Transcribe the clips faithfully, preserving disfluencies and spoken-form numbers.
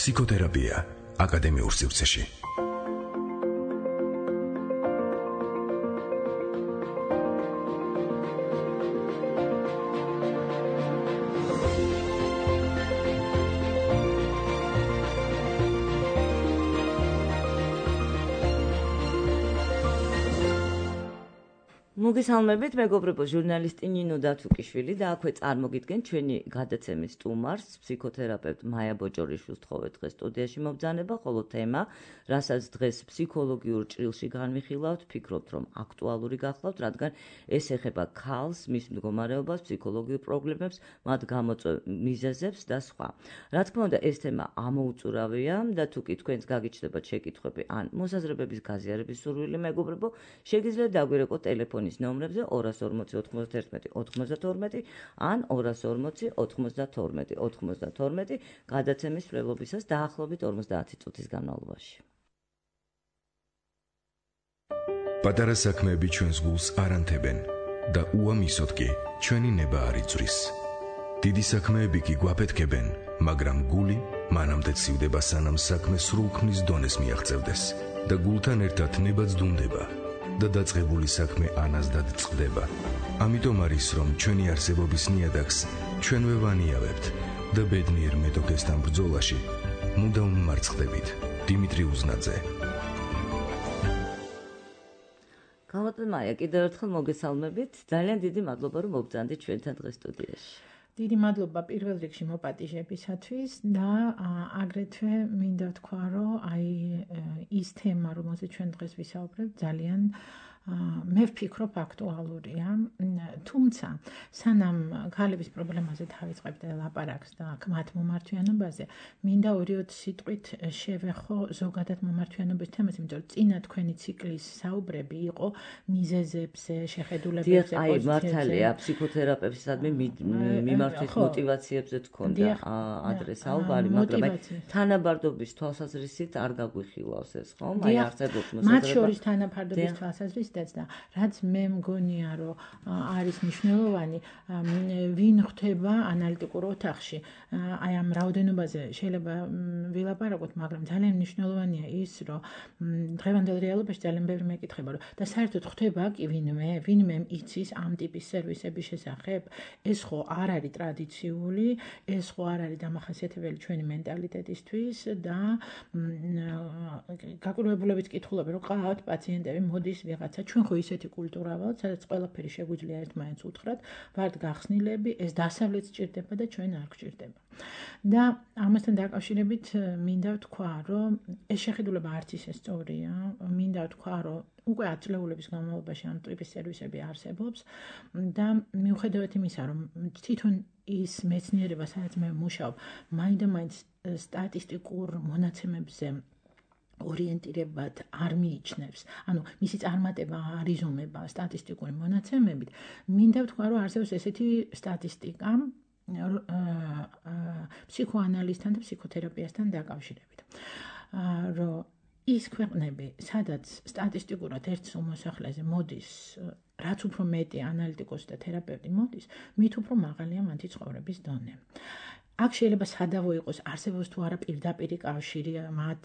ფსიქოთერაპია აკადემიურ სივრცეში. მოგესალმებით, მეგობრებო, ჟურნალისტი ნინო დათუკიშვილი და აქვე წარმოგიდგენ ჩვენი გადაცემის სტუმარს, ფსიქოთერაპევტ მაია ბოჭორიშვილს თხოვეთ დღეს სტუდიაში მობრძანება, ხოლო თემა, რასაც დღეს ფსიქოლოგიურ ჭრილში განვიხილავთ, ფიქრობთ, რომ აქტუალური გახლავთ, რადგან ეს ეხება ქალს, მის მდგომარეობას, ფსიქოლოგიურ პრობლემებს, მათ გამოწვევ მიზეზებს და სხვა. რა თქმა უნდა, ეს თემა ამოუწურავია და თუ კი თქვენს გაგიჩნდებათ შეკითხვები ან მოსაზრებების გაზიარების სურვილი, მეგობრებო, შეგიძლიათ დაგვირეკოთ ტელეფონის ნომრებზე ორას ორმოცი ოთხმოცდაერთმეტი ოთხმოცდათორმეტი ან ორას ორმოცი ოთხმოცდათორმეტი ოთხმოცდათორმეტი გადაცემის მკვლელობისას დაახლოებით ორმოცდაათი წუთის განმავლობაში. პატარა საქმეები ჩვენს გულს არ ანთებენ და უამისოდ კი ჩვენი ნება არ იწვრის. დიდი საქმეები კი გვაფეთქებენ, მაგრამ გული მანამდე ცივდება, სანამ საქმე სრულქმნის დონეს მიაღწევდეს და გულთან ერთად ნება ძდუნდება და დაწყებული საქმე ანაზდად წყდება. ამიტომ არის, რომ ჩვენი არსებობის ნიადაგს ჩვენვე ვანიავებთ და ბედნიერ მეტოქესთან ბრძოლაში მუდამ მარცხდებით. დიმიტრი უზნაძე. გამოდე მაია, კიდევ ერთხელ მოგესალმებით. ძალიან დიდი მადლობა, რომ მობრძანდით ჩვენთან დღეს სტუდიაში. დიდი მადლობა პირველ რიგში მოპატიჟებისათვის და აგრეთვე მინდა ვთქვა, რომ აი ის თემა, რომელზეც ჩვენ დღეს ვისაუბრებთ, ძალიან მე ვფიქრობ აქტუალურია, თუმცა სანამ ქალების პრობლემაზე დავიწყებთ ლაპარაკს და მათ მომართვიანობაზე, მინდა ორი-ოც სიტყვით შევეხო ზოგადად მომართვიანობის თემას, იმიტომ რომ წინა თქვენი ციკლის საუბრები იყო მიზეზებზე, შეხედულებებზე, აი მართალია, ფსიქოთერაპევტისადმი მიმართვის მოტივაციებზე თქონდა ადრე საუბარი, მაგრამ თანაბარდობის თვალსაზრისით არ გაგვიხილავს ეს, ხომ? აი არსებობს მოსაზრება. მათ შორის თანაბარდობის თვალსაზრისით და რაც მე მგონია, რომ არის მნიშვნელოვანი, ვინ ხვდება ანალიტიკურ ოთახში, აი ამ რაოდენობაზე შეიძლება ვილაპარაკოთ, მაგრამ ძალიან მნიშვნელოვანია ის, რომ დღევანდელ რეალობაში ძალიან ბევრი მეკითხება, რომ და საერთოდ ხვდება კი ვინმე, ვინმე იცის ამ ტიპის სერვისების შესახებ, ეს ხო არ არის ტრადიციული, ეს ხო არ არის დამახასიათებელი ჩვენი მენტალიტეტისთვის და გაკვირვებულებით კითხულობენ, რომ ყავთ პაციენტები, მოდის ვიღაცა, ჩვენ ხო ისეთი კულტურა ვართ, სადაც ყველაფერი შეგვიძლია ერთმანეთს უთხრათ, ვართ გახსნილები, ეს დასავლეთს ჭირდება და ჩვენ არ გვჭირდება. და ამასთან დაკავშირებით მინდა ვთქვა, რომ ეს შეხედულება არც ისე სწორია, მინდა ვთქვა, რომ უკვე ათ წლეულების განმავლობაში ამ ტიპის სერვისები არსებობს და მიუხედავად იმისა, რომ თვითონ ის მეცნიერება, სადაც მე ვმუშაობ, მაინდა-მაინც სტატისტიკურ მონაცემებზე ორიენტირებად არ მიიჩნევს, ანუ მისი წარმატება არ იზომება სტატისტიკური მონაცემებით, მინდა ვთქვა, რომ არსებობს ესეთი სტატისტიკა ფსიქოანალიზთან და ფსიქოთერაპიასთან დაკავშირებით, რომ ის ქვეყნები, სადაც სტატისტიკურად ერთ მოსახლეზე მოდის, რაც უფრო მეტი ანალიტიკოსი და თერაპევტი მოდის, მით უფრო მაღალია მათი ცხოვრების დონე. აქ შეიძლება სადავო იყოს, არსებობს თუ არა პირდაპირი კავშირი მათ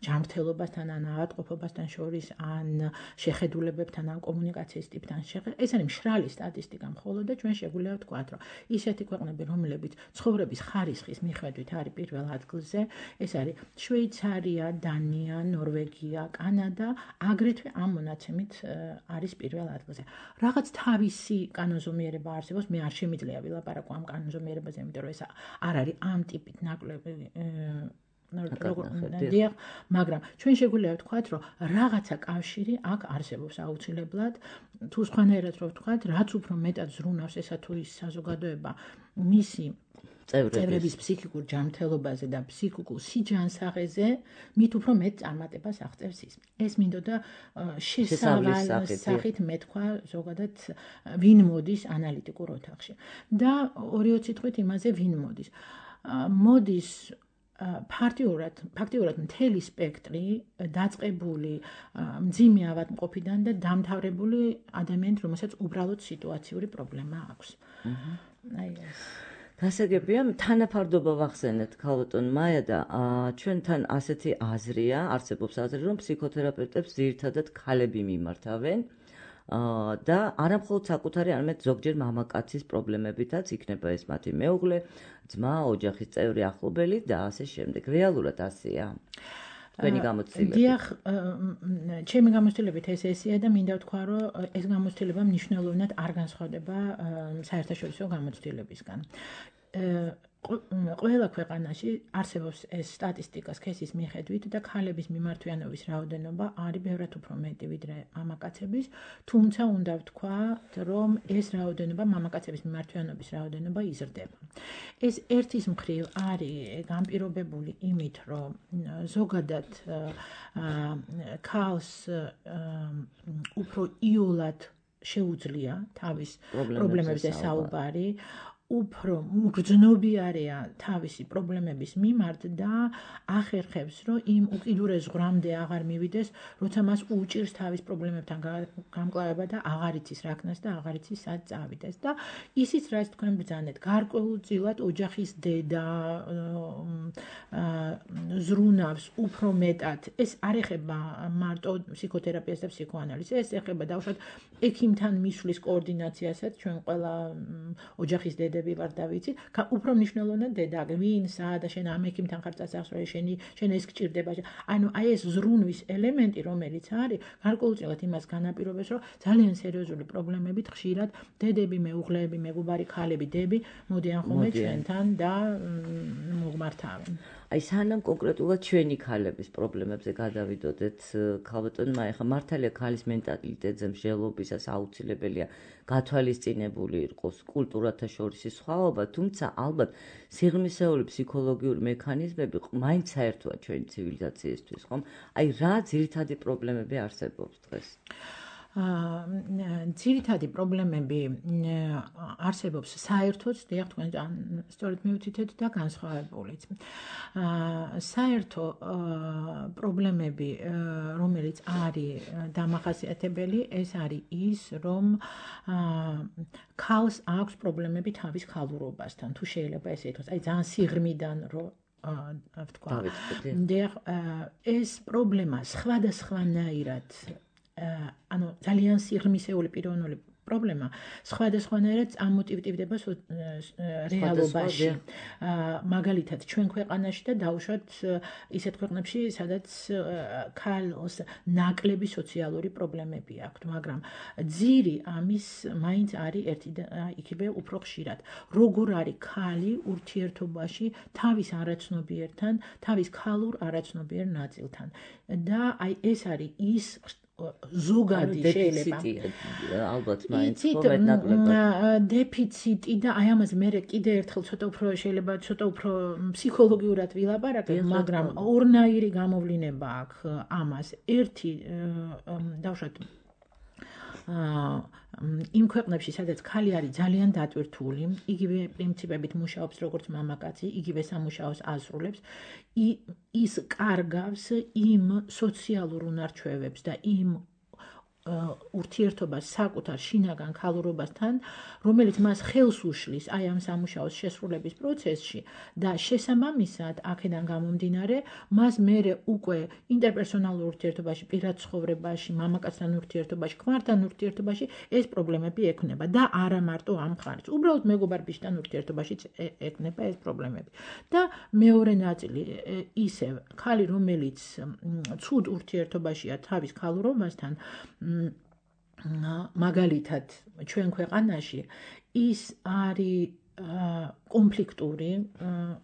ჯანმრთელობასთან ან ავადმყოფობასთან შორის, ან შეხედულებებთან, ან კომუნიკაციის ტიპთან შეხება. ეს არის მშრალი სტატისტიკა მხოლოდ და ჩვენ შეგვიძლია ვთქვათ, რომ ისეთი ქვეყნები, რომლებიც ცხოვრების ხარისხის მიხედვით არის პირველ ადგილზე, ეს არის შვეიცარია, დანია, ნორვეგია, კანადა, აგრეთვე ამ მონაცემით არის პირველ ადგილზე. რაღაც თავისი კანონზომიერება არსებობს, მე არ შემიძლია ვილაპარაკო ამ კანონზომიერებაზე, იმიტომ რომ ეს არ არის ამ ტიპით ნაკლები, მაგრამ ჩვენ შეგვიძლია ვთქვათ, რომ რაღაცა კავშირი აქ არსებობს აუცილებლად, თუ სხვანაირად რო ვთქვათ, რაც უფრო მეტად ზრუნავს ესა თუ ის საზოგადოება მისი წევრების ფსიქიკურ ჯანმრთელობაზე და ფსიქიკურ სიჯანსაღეზე, მით უფრო მეტ წარმატებას აღწევს ის. ეს მინდოდა შესავლის სახით მეთქვა ზოგადად ვინ მოდის ანალიტიკურ ოთახში. და ორი-ოც სიტყვით იმაზე ვინ მოდის. მოდის ფაქტიურად, ფაქტიურად მთელი სპექტრი დაწყებული მძიმე ავადმყოფიდან და დამთავრებული ადამიანით, რომელსაც უბრალოდ სიტუაციური პრობლემა აქვს. აი ეს გასაგებია, თანაფარდობა ვახსენეთ ქალბატონ მაია და ჩვენთან ასეთი აზრია, არსებობს აზრი, რომ ფსიქოთერაპევტებს ძირითადად ქალები მიმართავენ და არამხოლოდ საკუთარი, არამედ ზოგჯერ მამაკაცის პრობლემებითაც იქნება ეს მათი მეუღლე, ძმა, ოჯახის წევრი, ახლობელი და ასე შემდეგ. რეალურად ასეა. თქვენი გამოცდილებით. დიახ, ჩემი გამოცდილებით ეს ესეა და მინდა ვთქვა, რომ ეს გამოცდილება მნიშვნელოვნად არ განსხვავდება საერთაშორისო გამოცდილებისგან. ყველა ქვეყანაში არსებობს ეს სტატისტიკა სქესის მიხედვით და ქალების მიმართვიანობის რაოდენობა არის ბევრად უფრო მეტი ვიდრე მამაკაცების, თუმცა უნდა ვთქვათ, რომ ეს რაოდენობა მამაკაცების მიმართვიანობის რაოდენობა იზრდება. ეს ერთის მხრივ არის განპირობებული იმით, რომ ზოგადად ქალს უფრო იოლად შეუძლია თავის პრობლემებზე საუბარი, უფრო მგრძნობიარეა თავისი პრობლემების მიმართ და ახერხებს, რომ იმ უკიდურეს ზღვრამდე აღარ მივიდეს, როცა მას უჭირს თავის პრობლემებთან გამკლავება და აღარ იცის რა ქნას და აღარ იცის სად წავიდეს. და ისიც, რაც თქვენ ბრძანეთ, გარკვეულწილად ოჯახის დედა ზრუნავს უფრო მეტად. ეს არ ეხება მარტო ფსიქოთერაპიას და ფსიქოანალიზს, ეს ეხება დავუშვათ ექიმთან მისვლის კოორდინაციასაც, ჩვენ ყველა ოჯახის დედა ვარ და ვიცი, უფრო მნიშვნელოვნად დედა, ვინ, სად და შენ ამ ექიმთან ხარ წასახსრელი, შენი შენ ეს გჭირდება. ანუ აი ეს ზრუნვის ელემენტი, რომელიც არის, გარკვეულწილად იმას განაპირობებს, რომ ძალიან სერიოზული პრობლემებით ხშირად დედები, მეუღლეები, მეგობარი ქალები, დები მოდიან ხოლმე ჩვენთან და მოგმართავენ. აი სანამ კონკრეტულად ჩვენი ქალების პრობლემებზე გადავიდოდეთ, ქალბატონ მაია, ხა მართალია ქალის მენტალიტეტზე მსჯელობისას აუცილებელია გათვალისწინებული იყოს კულტურათა შორისი სხვაობა, თუმცა ალბათ სიღრმისეული ფსიქოლოგიური მექანიზმები მაინც საერთოა ჩვენი ცივილიზაციისთვის, ხომ? აი რა ძირითადი პრობლემები არსებობს დღეს? ძირითადი პრობლემები არსებობს საერთოდ, დიახ, თქვენ სწორედ მივთითეთ და განსხვავებულიც. საერთო პრობლემები, რომელიც არის დამახასიათებელი, ეს არის ის, რომ ქალს აქვს პრობლემები თავის ქალურობასთან, თუ შეიძლება ესე ითქვას, აი ძალიან სიღრმიდან რომ ვთქვა. დიახ, ეს პრობლემა სხვადასხვანაირად ანუ ძალიან სიღრმისეული პიროვნული პრობლემა სხვადასხვანაირად წამოტივტივდება რეალობაში. მაგალითად, ჩვენ ქვეყანაში და დაუშვათ ისეთ ქვეყნებში, სადაც ქალს ნაკლები სოციალური პრობლემები აქვთ, მაგრამ ძირი ამის მაინც არის ერთი და იქივე უფრო ხშირად. როგორ არის ქალი ურთიერთობაში თავის არაცნობიერთან, თავის ქალურ არაცნობიერ ნაწილთან. და აი ეს არის ის ზოგადი შეიძლება ალბათ მაინც მეტნაკლებად დეფიციტი და აი ამაზე მე კიდე ერთხელ ცოტა უფრო შეიძლება ცოტა უფრო ფსიქოლოგიურად ვილაპარაკებ, მაგრამ ორნაირი გამოვლინება აქვს ამას. ერთი დავუშვათ იმ ქვეყნებში, სადაც ქალი არის ძალიან დატვირთული, იგივე პრინციპებით მუშაობს როგორც მამაკაცი, იგივე სამუშაოს ასრულებს, ის კარგავს იმ სოციალურ უნარჩვევებს და იმ ურთიერთობას საკუთარ შინაგან ქალურობასთან, რომელიც მას ხელს უშლის აი ამ სამუშაოს შესრულების პროცესში და შესაბამისად აქედან გამომდინარე, მას მერე უკვე ინტერპერსონალურ ურთიერთობაში, პირად ცხოვრებაში, მამაკაცთან ურთიერთობაში, ქმართან ურთიერთობაში ეს პრობლემები ექნება და არა მარტო ამ მხარეს. უბრალოდ მეგობარ ბიჭთან ურთიერთობაშიც ექნება ეს პრობლემები. და მეორე ნაწილი ისევ ქალი, რომელიც ცუდ ურთიერთობაშია თავის ქალურობასთან, მაგალითად ჩვენ ქვეყანაში ის არის კონფლიქტური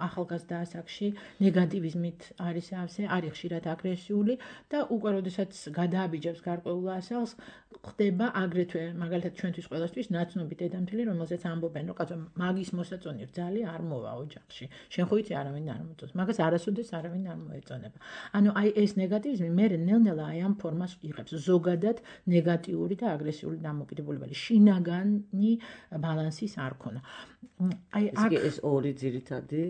ახალგაზრდა ასაკში ნეგატივიზმით არის ავსე, არის ხშირად აგრესიული და უკვე როდესაც გადააბიჯებს გარკვეულ ასაკს, ხდება აგრეთვე მაგალითად ჩვენთვის ყველასთვის ნაცნობი დედამთილი, რომელზეც ამბობენ, რომ კაცო მაგის მოსაწონი რძალი არ მოვა ოჯახში. შენ ხო იცი არავინ არ მოწონს, მაგას არასოდეს არავინ არ მოეწონება. ანუ აი ეს ნეგატივიზმი მე ნელ-ნელა აი ამ ფორმას იღებს, ზოგადად ნეგატიური და აგრესიული დამოკიდებულება, შინაგანი ბალანსის არ ქონა. აი აქ ეს ორი ძირითადი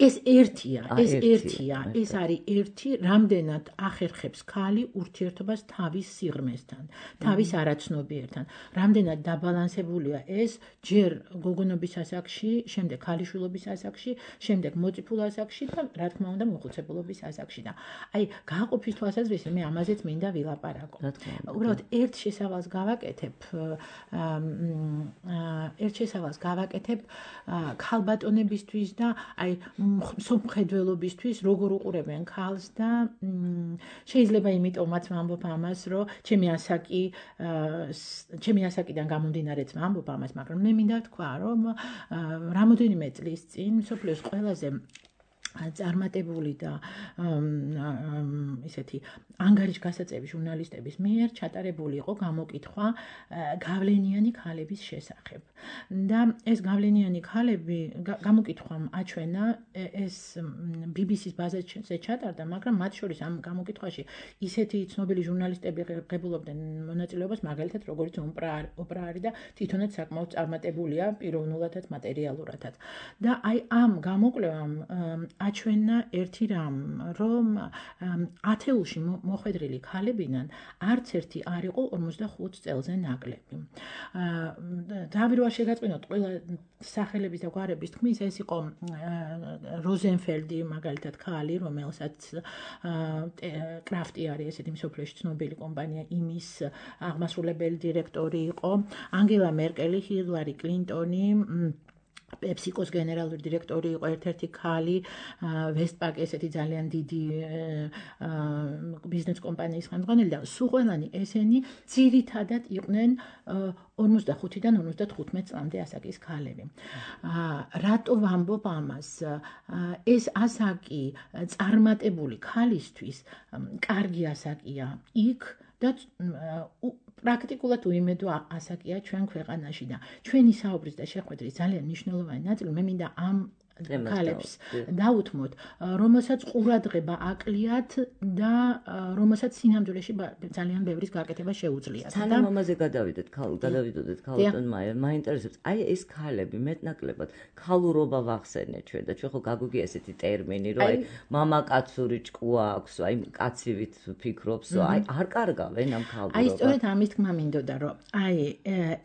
ეს ერთია, ეს ერთია, ეს არის ერთი, რამდენად ახერხებს ქალი ურთიერთობას თავის სიღრმესთან, თავის არაცნობიერთან, რამდენად დაბალანსებულია ეს ჯერ გოგონობის ასაკში, შემდეგ ქალიშვილობის ასაკში, შემდეგ მოწიფულ ასაკში და რა თქმა უნდა მოხუცებულობის ასაკში და აი გააყოფის თვალსაზრისით მე ამაზეც მინდა ვილაპარაკო. უბრალოდ ერთ შესავალს გავაკეთებ, ერთ შესავალს გავაკეთებ ქალბატონებისთვის და აი მსოფლმხედველობისთვის როგორ უყურებენ ქალს და შეიძლება იმიტომაც ვამბობ ამას, რომ ჩემი ასაკი ჩემი ასაკიდან გამომდინარეც ვამბობ ამას, მაგრამ მე მინდა თქვა, რომ რამოდენიმე წლის წინ მსოფლიოს ყველაზე წარმატებული და ისეთი ანგარიშგასაწევი ჟურნალისტების მიერ ჩატარებული იყო გამოკითხვა გავლენიანი ქალების შესახებ. და ეს გავლენიანი ქალები გამოკითხვამ აჩვენა ეს ბი ბი სის ბაზაზე ჩატარდა, მაგრამ მათ შორის ამ გამოკითხვაში ისეთი ცნობილი ჟურნალისტები ღებულობდნენ მონაწილეობას, მაგალითად როგორც ოპრა არის და თვითონაც საკმაოდ წარმატებულია პიროვნულადაც, მატერიალურადაც. და აი ამ გამოკვლევამ აჩვენა ერთი რამ, რომ ათეულში მოხვედრილი ქალებიდან არც ერთი არ იყო ორმოცდახუთ წელზე ნაკლები. თავი რო შეგაწყვინოთ ყველა სახელების და გვარების თქმის, ეს იყო როზენფელდი, მაგალითად ქალი, რომელსაც კრაფტი არის ესეთი მსოფლიოში ცნობილი კომპანია, იმის აღმასრულებელი დირექტორი იყო, ანგელა მერკელი, ჰილარი კლინტონი, პეპსიკოს გენერალური დირექტორი იყო ერთ-ერთი ქალი, ვესტპაკ ესეთი ძალიან დიდი ბიზნეს კომპანიის ხელმძღვანელი და სულ ყველანი ესენი ძირითადად იყვნენ ორმოცდახუთიდან ორმოცდათხუთმეტ წლამდე ასაკის ქალები. რატო ვამბობ ამას? ეს ასაკი წარმატებული ქალისთვის კარგი ასაკია იქ და პრაქტიკულად უიმედო ასაკია ჩვენ ქვეყანაში და ჩვენი საუბრის და შეხვედრის ძალიან მნიშვნელოვანი ნაწილი მე მინდა ამ ქალებს დაუთმოთ, რომელსაც ყურადღება აკლიათ და რომელსაც სინამდვილეში ძალიან ბევრის გაკეთება შეუძლიათ. სანამ ამაზე გადავიდეთ, გადავიდოდეთ ქალბატონ მაიერ, მაინტერესებს, აი ეს ქალები მეტნაკლებად ქალურობა ვახსენეთ ჩვენ და ჩვენ ხო გაგუგია ესეთი ტერმინი, რომ აი მამაკაცური ჭკუა აქვს, აი კაცივით ფიქრობს, აი არ კარგავენ ამ ქალურობას. აი სწორედ ამის თქმა მინდოდა, რომ აი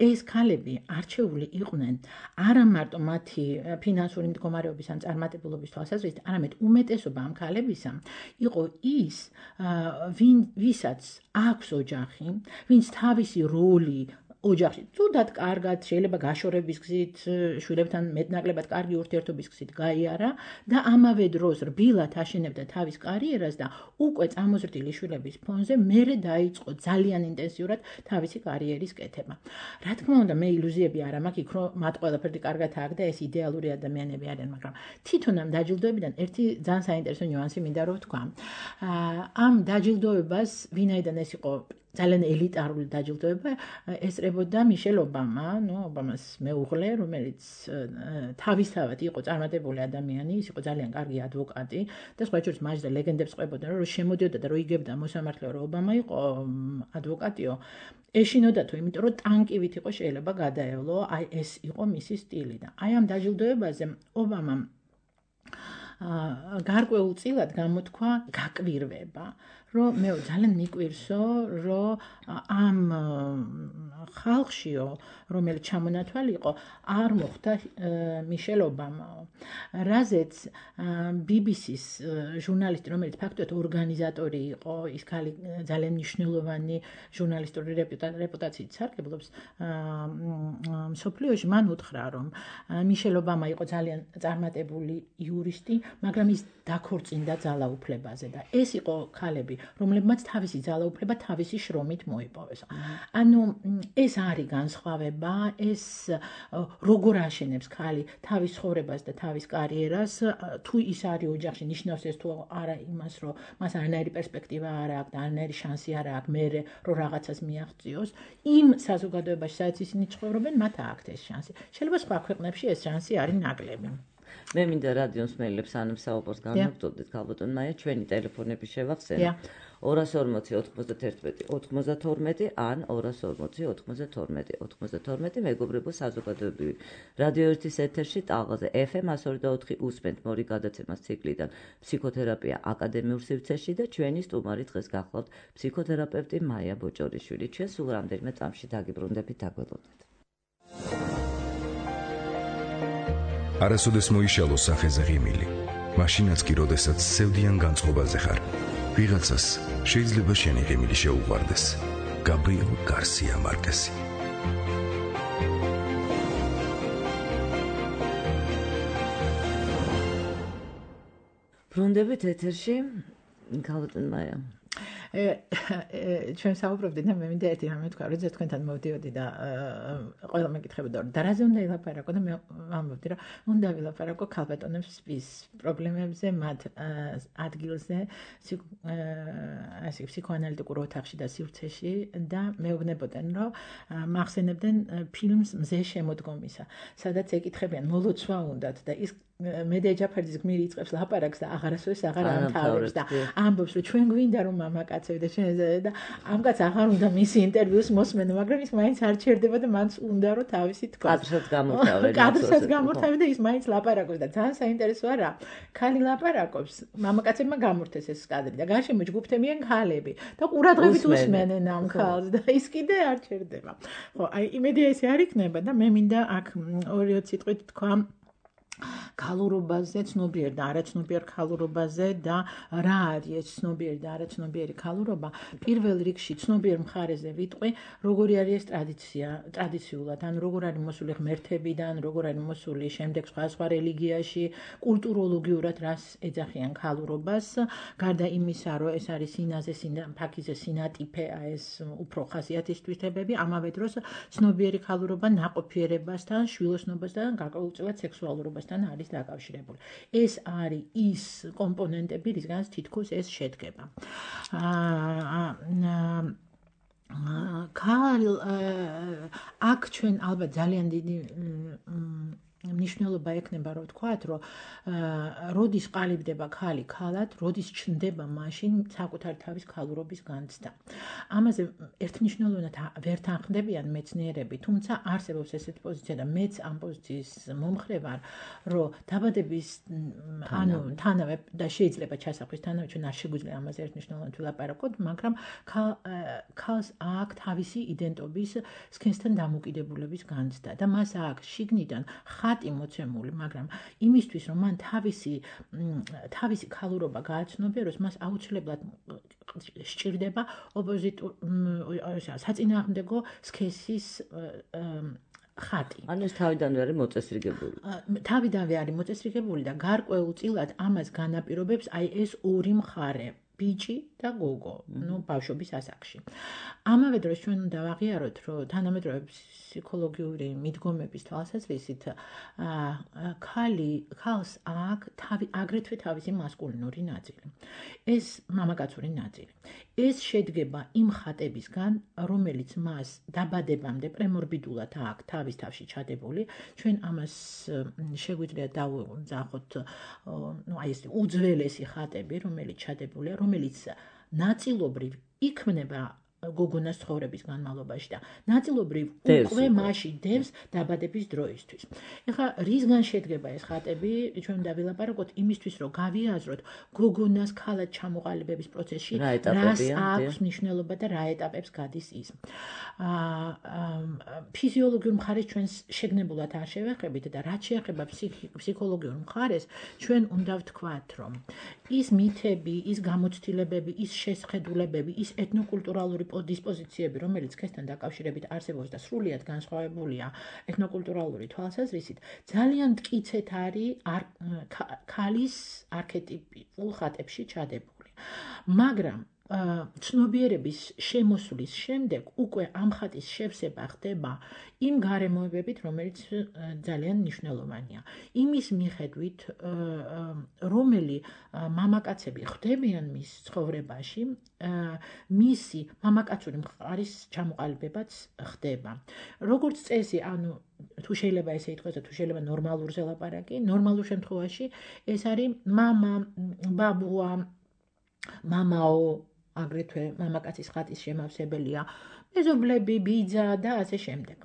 ეს ქალები არჩეული იყვნენ არა მარტო მათი ფინანსური მდგომარეობის ან წარმატებულობის თვალსაზრისით, არამედ უმეტესობა ამ ქალებისა იყო ის, ვისაც აქვს ოჯახი, ვინც თავისი როლი ოჯახში თუდად კარგად შეიძლება გაშორების გზით, შვილებთან მეტნაკლებად კარგი ურთიერთობის გზით გაიარა და ამავე დროს რბილად აშენებდა თავის კარიერას და უკვე წამოზრდილი შვილების ფონზე მერე დაიწყო ძალიან ინტენსიურად თავისი კარიერის კეთება. რა თქმა უნდა, მე ილუზიები არ მაქვს იქ, რომ მათ ყველაფერი კარგად აქვს და ეს იდეალური ადამიანები არიან, მაგრამ თვითონ ამ დაჯილდოებიდან ერთი ძალიან საინტერესო ნიუანსი მინდა რომ ვთქვა. ამ დაჯილდოებას ვინაიდან ეს იყო ძალიან ელიტარული დაჯილდოება ესწრებოდა მიშელ ობამა, ნუ ობამას მეუღლე, რომელიც თავისთავად იყო წარმატებული ადამიანი, ის იყო ძალიან კარგი ადვოკატი და სხვა შორის მას და ლეგენდებს ყვებოდა, რომ შემოდიოდა და რო იგებდა მოსამართლეა, რომ ობამა იყო ადვოკატიო, ეშინოდათო, იმიტომ რომ ტანკივით იყო შეიძლება გადაევლო, აი ეს იყო მისი სტილი და აი ამ დაჯილდოებაზე ობამამ გარკვეულწილად გამოთქვა გაკვირვება, რომ მე ძალიან მიკვირსო, რომ ამ ხალხშიო, რომელიც ჩამონათვალი იყო, არ მოხვდა მიშელ ობამაო. რაზეც ბი ბი სის ჟურნალისტი, რომელიც ფაქტობრივად ორგანიზატორი იყო, ის ქალი ძალიან მნიშვნელოვანი ჟურნალისტური რეპუტაციით სარგებლობს მსოფლიოში, მან უთხრა, რომ მიშელ ობამა იყო ძალიან წარმატებული იურისტი, მაგრამ ის დაქორწინდა ძალაუფლებაზე და ეს იყო ქალები, რომლებმაც თავისი ძალაუფლება თავისი შრომით მოიპოვეს. ანუ ეს არის განსხვავება, ეს როგორ აშენებს ქალი თავის ცხოვრებას და თავის კარიერას, თუ ის არის ოჯახში, ნიშნავს ეს თუ არა იმას, რომ მას არანაირი პერსპექტივა არ აქვს და არანაირი შანსი არ აქვს მერე რომ რაღაცას მიაღწიოს, იმ საზოგადოებაში, სადაც ისინი ცხოვრობენ, მათ აქვთ ეს შანსი. შეიძლება სხვა ქვეყნებში ეს შანსი არის ნაკლები. მე მინდა რადიოს მელებს ანემ საუბარს განმოგწოდეთ ქალბატონ მაია, ჩვენი ტელეფონები შევახსენოთ. ორას ორმოცი ოთხმოცდათერთმეტი ოთხმოცდათორმეტი ან ორას ორმოცი ოთხმოცდათორმეტი ოთხმოცდათორმეტი მეგობრებო საზოგადოებრივი რადიო ერთის ეთერში ტალღაზე ეფ ემ εκατო ორი და ოთხი უსმენთ მორი გადაცემას ციკლიდან ფსიქოთერაპია აკადემიურ სივრცეში და ჩვენი სტუმარი დღეს გახლავთ ფსიქოთერაპევტი მაია ბოჭორიშვილი. ჩვენ სულ რამდენიმე წამში დაგიბრუნდებით, დაგველოდეთ. არასოდეს მოიშალო სახეზე ღიმილი, მაშინაც კი როდესაც სევდიან განწყობაზე ხარ. ვიღაცას შეიძლება შენი ღიმილი შეუყვარდეს. გაბრიელ გარსია მარკესი. ბრუნდებით ეთერში, ქალბატონ მაია. ჩვენ საუბრობდით და მე მინდა ერთი რამე თქვა, როცა თქვენთან მოვდიოდი და ყველა მეკითხებოდა, და რაზე უნდა ილაპარაკო და მე ამბობდი, რომ უნდა ვილაპარაკო ქალბატონებს ის პრობლემებზე, მათ ადგილზე, ასე ფსიქოანალიტიკურ ოთახში და სივრცეში და მეუბნებოდნენ, რომ მახსენებდნენ ფილმს მზე შემოდგომისა, სადაც ეკითხებიან, მოლოცვა უნდათ და ის მედია ჯაფარიძის გმირი იწყებს ლაპარაკს და აღარასოდეს აღარ ამთავრებს და ამბობს, რომ ჩვენ გვინდა რომ მამაკაცები და ჩვენ და ამ კაცს აღარ უნდა მისი ინტერვიუს მოსმენო, მაგრამ ის მაინც არ ჩერდება და მანც უნდა რომ თავისი თქვა. კადრსაც გამორთავე. კადრსაც გამორთავე და ის მაინც ლაპარაკობს და ძალიან საინტერესოა რა. ქალი ლაპარაკობს, მამაკაცებმა გამორთეს ეს კადრი და გარშემო ჯგუფთებიან ქალები და ყურადღებით უსმენენ ამ ქალს და ის კიდე არ ჩერდება. ხო, აი იმედია ესე არ იქნება და მე მინდა აქ ორი სიტყვით თქვა ქალურობაზე, ცნობიერ და არაცნობიერ ქალურობაზე და რა არის ეს ცნობიერი და არაცნობიერი ქალურობა. პირველ რიგში ცნობიერ მხარეზე ვიტყვი, როგორი არის ეს ტრადიცია, ტრადიციულად, ან როგორ არის მოსული ღმერთებიდან, როგორ არის მოსული შემდეგ სხვა სხვა რელიგიაში, კულტუროლოგიურად რას ეძახიან ქალურობას, გარდა იმისა, რომ ეს არის სინაზე, ფაქიზე სინატიფე, ეს უფრო ხასიათის თვითებები, ამავე დროს ცნობიერი ქალურობა ნაყოფიერებასთან, შვილოსნობასთან, გარკვეულწილად სექსუალურობასთან არის დაკავშირებული. ეს არის ის კომპონენტები, რისგანაც თითქოს ეს შედგება. ქალ აქ ჩვენ ალბათ ძალიან დიდი მნიშვნელობა ექნება, რომ ვთქვათ, რომ როდის ყალიბდება ქალი ქალად, როდის ჩნდება მაშინ საკუთარი თავის ქალურობის განცდა. ამაზე ერთმნიშვნელოვნად ვერ თანხმდებიან მეცნიერები, თუმცა არსებობს ესეთი პოზიცია და მეც ამ პოზიციის მომხრე ვარ, რომ დაბადების ანუ თანავე და შეიძლება ჩასახვის თანავე, ჩვენ არ შეგვიძლია ამაზე ერთმნიშვნელოვნად ვილაპარაკოთ, მაგრამ ქალს აქვს თავისი იდენტობის სქესთან დამოკიდებულების განცდა და მას აქვს შიგნიდან ხატი მოცემული, მაგრამ იმისთვის, რომ მან თავისი თავისი ქალურობა გააცნობიეროს, მას აუცილებლად სჭირდება ოპოზიტურ საწინააღმდეგო სქესის ხატი. ანუ ეს თავიდანვე არის მოწესრიგებული. თავიდანვე არის მოწესრიგებული და გარკვეულწილად ამას განაპირობებს აი ეს ორი მხარე. ბიჭი და გოგო, ну, ბავშვობის ასაკში. ამავე დროს ჩვენ უნდა ვაღიაროთ, რომ თანამედროვე ფსიქოლოგიური მიდგომების თვალსაზრისით, ქალი, ქალს აქვს თავი, აგრეთვე თავისი მასკულინური ნაწილი. ეს მამაკაცური ნაწილი. ეს შედგება იმ ხატებისგან, რომელიც მას დაბადებამდე პრემორბიდულად აქვს თავის თავში ჩადებული. ჩვენ ამას შეგვიძლია დავუძახოთ, ну, აი ეს უძველესი ხატები, რომელიც ჩადებულია, რომელიც ნაწილობრივ იქმნება გოგონას ცხოვრების განმავლობაში და ნაწილობრივ უკვე მასში დევს დაბადების დროისთვის. ეხლა რისგან შედგება ეს ხატები, ჩვენ უნდა ვილაპარაკოთ იმისთვის, რომ გავიაზროთ გოგონას ქალად ჩამოყალიბების პროცესში რას აქვს მნიშვნელობა და რა ეტაპებს გადის ის. ფიზიოლოგიურ მხარეს ჩვენ შეგნებულად არ შევეხებით და რაც შეეხება ფსიქოლოგიურ მხარეს, ჩვენ უნდა ვთქვათ, რომ ის მითები, ის გამოცდილებები, ის შესხედულებები, ის ეთნოკულტურალური დისპოზიციები, რომელიც სქესთან დაკავშირებით არსებობს და სრულიად განსხვავებულია ეთნოკულტურალური თვალსაზრისით, ძალიან მტკიცედ არის ქალის არქეტიპულ ხატებში ჩადებული. მაგრამ ცნობიერების შემოსვლის შემდეგ უკვე ამ ხატის შევსება ხდება იმ გარემოებებით, რომელიც ძალიან მნიშვნელოვანია. იმის მიხედვით, რომელი მამაკაცები ხდებიან მის ცხოვრებაში, მისი მამაკაცური მხარის ჩამოყალიბებაც ხდება. როგორც წესი, ანუ თუ შეიძლება ესე ითქვას და თუ შეიძლება ნორმალურზე ლაპარაკი, ნორმალურ შემთხვევაში ეს არის მამა, ბაბუა, მამაო, აგრეთვე მამაკაცის ხატის შემავსებელია, მეზობლები, ბიძა და ასე შემდეგ.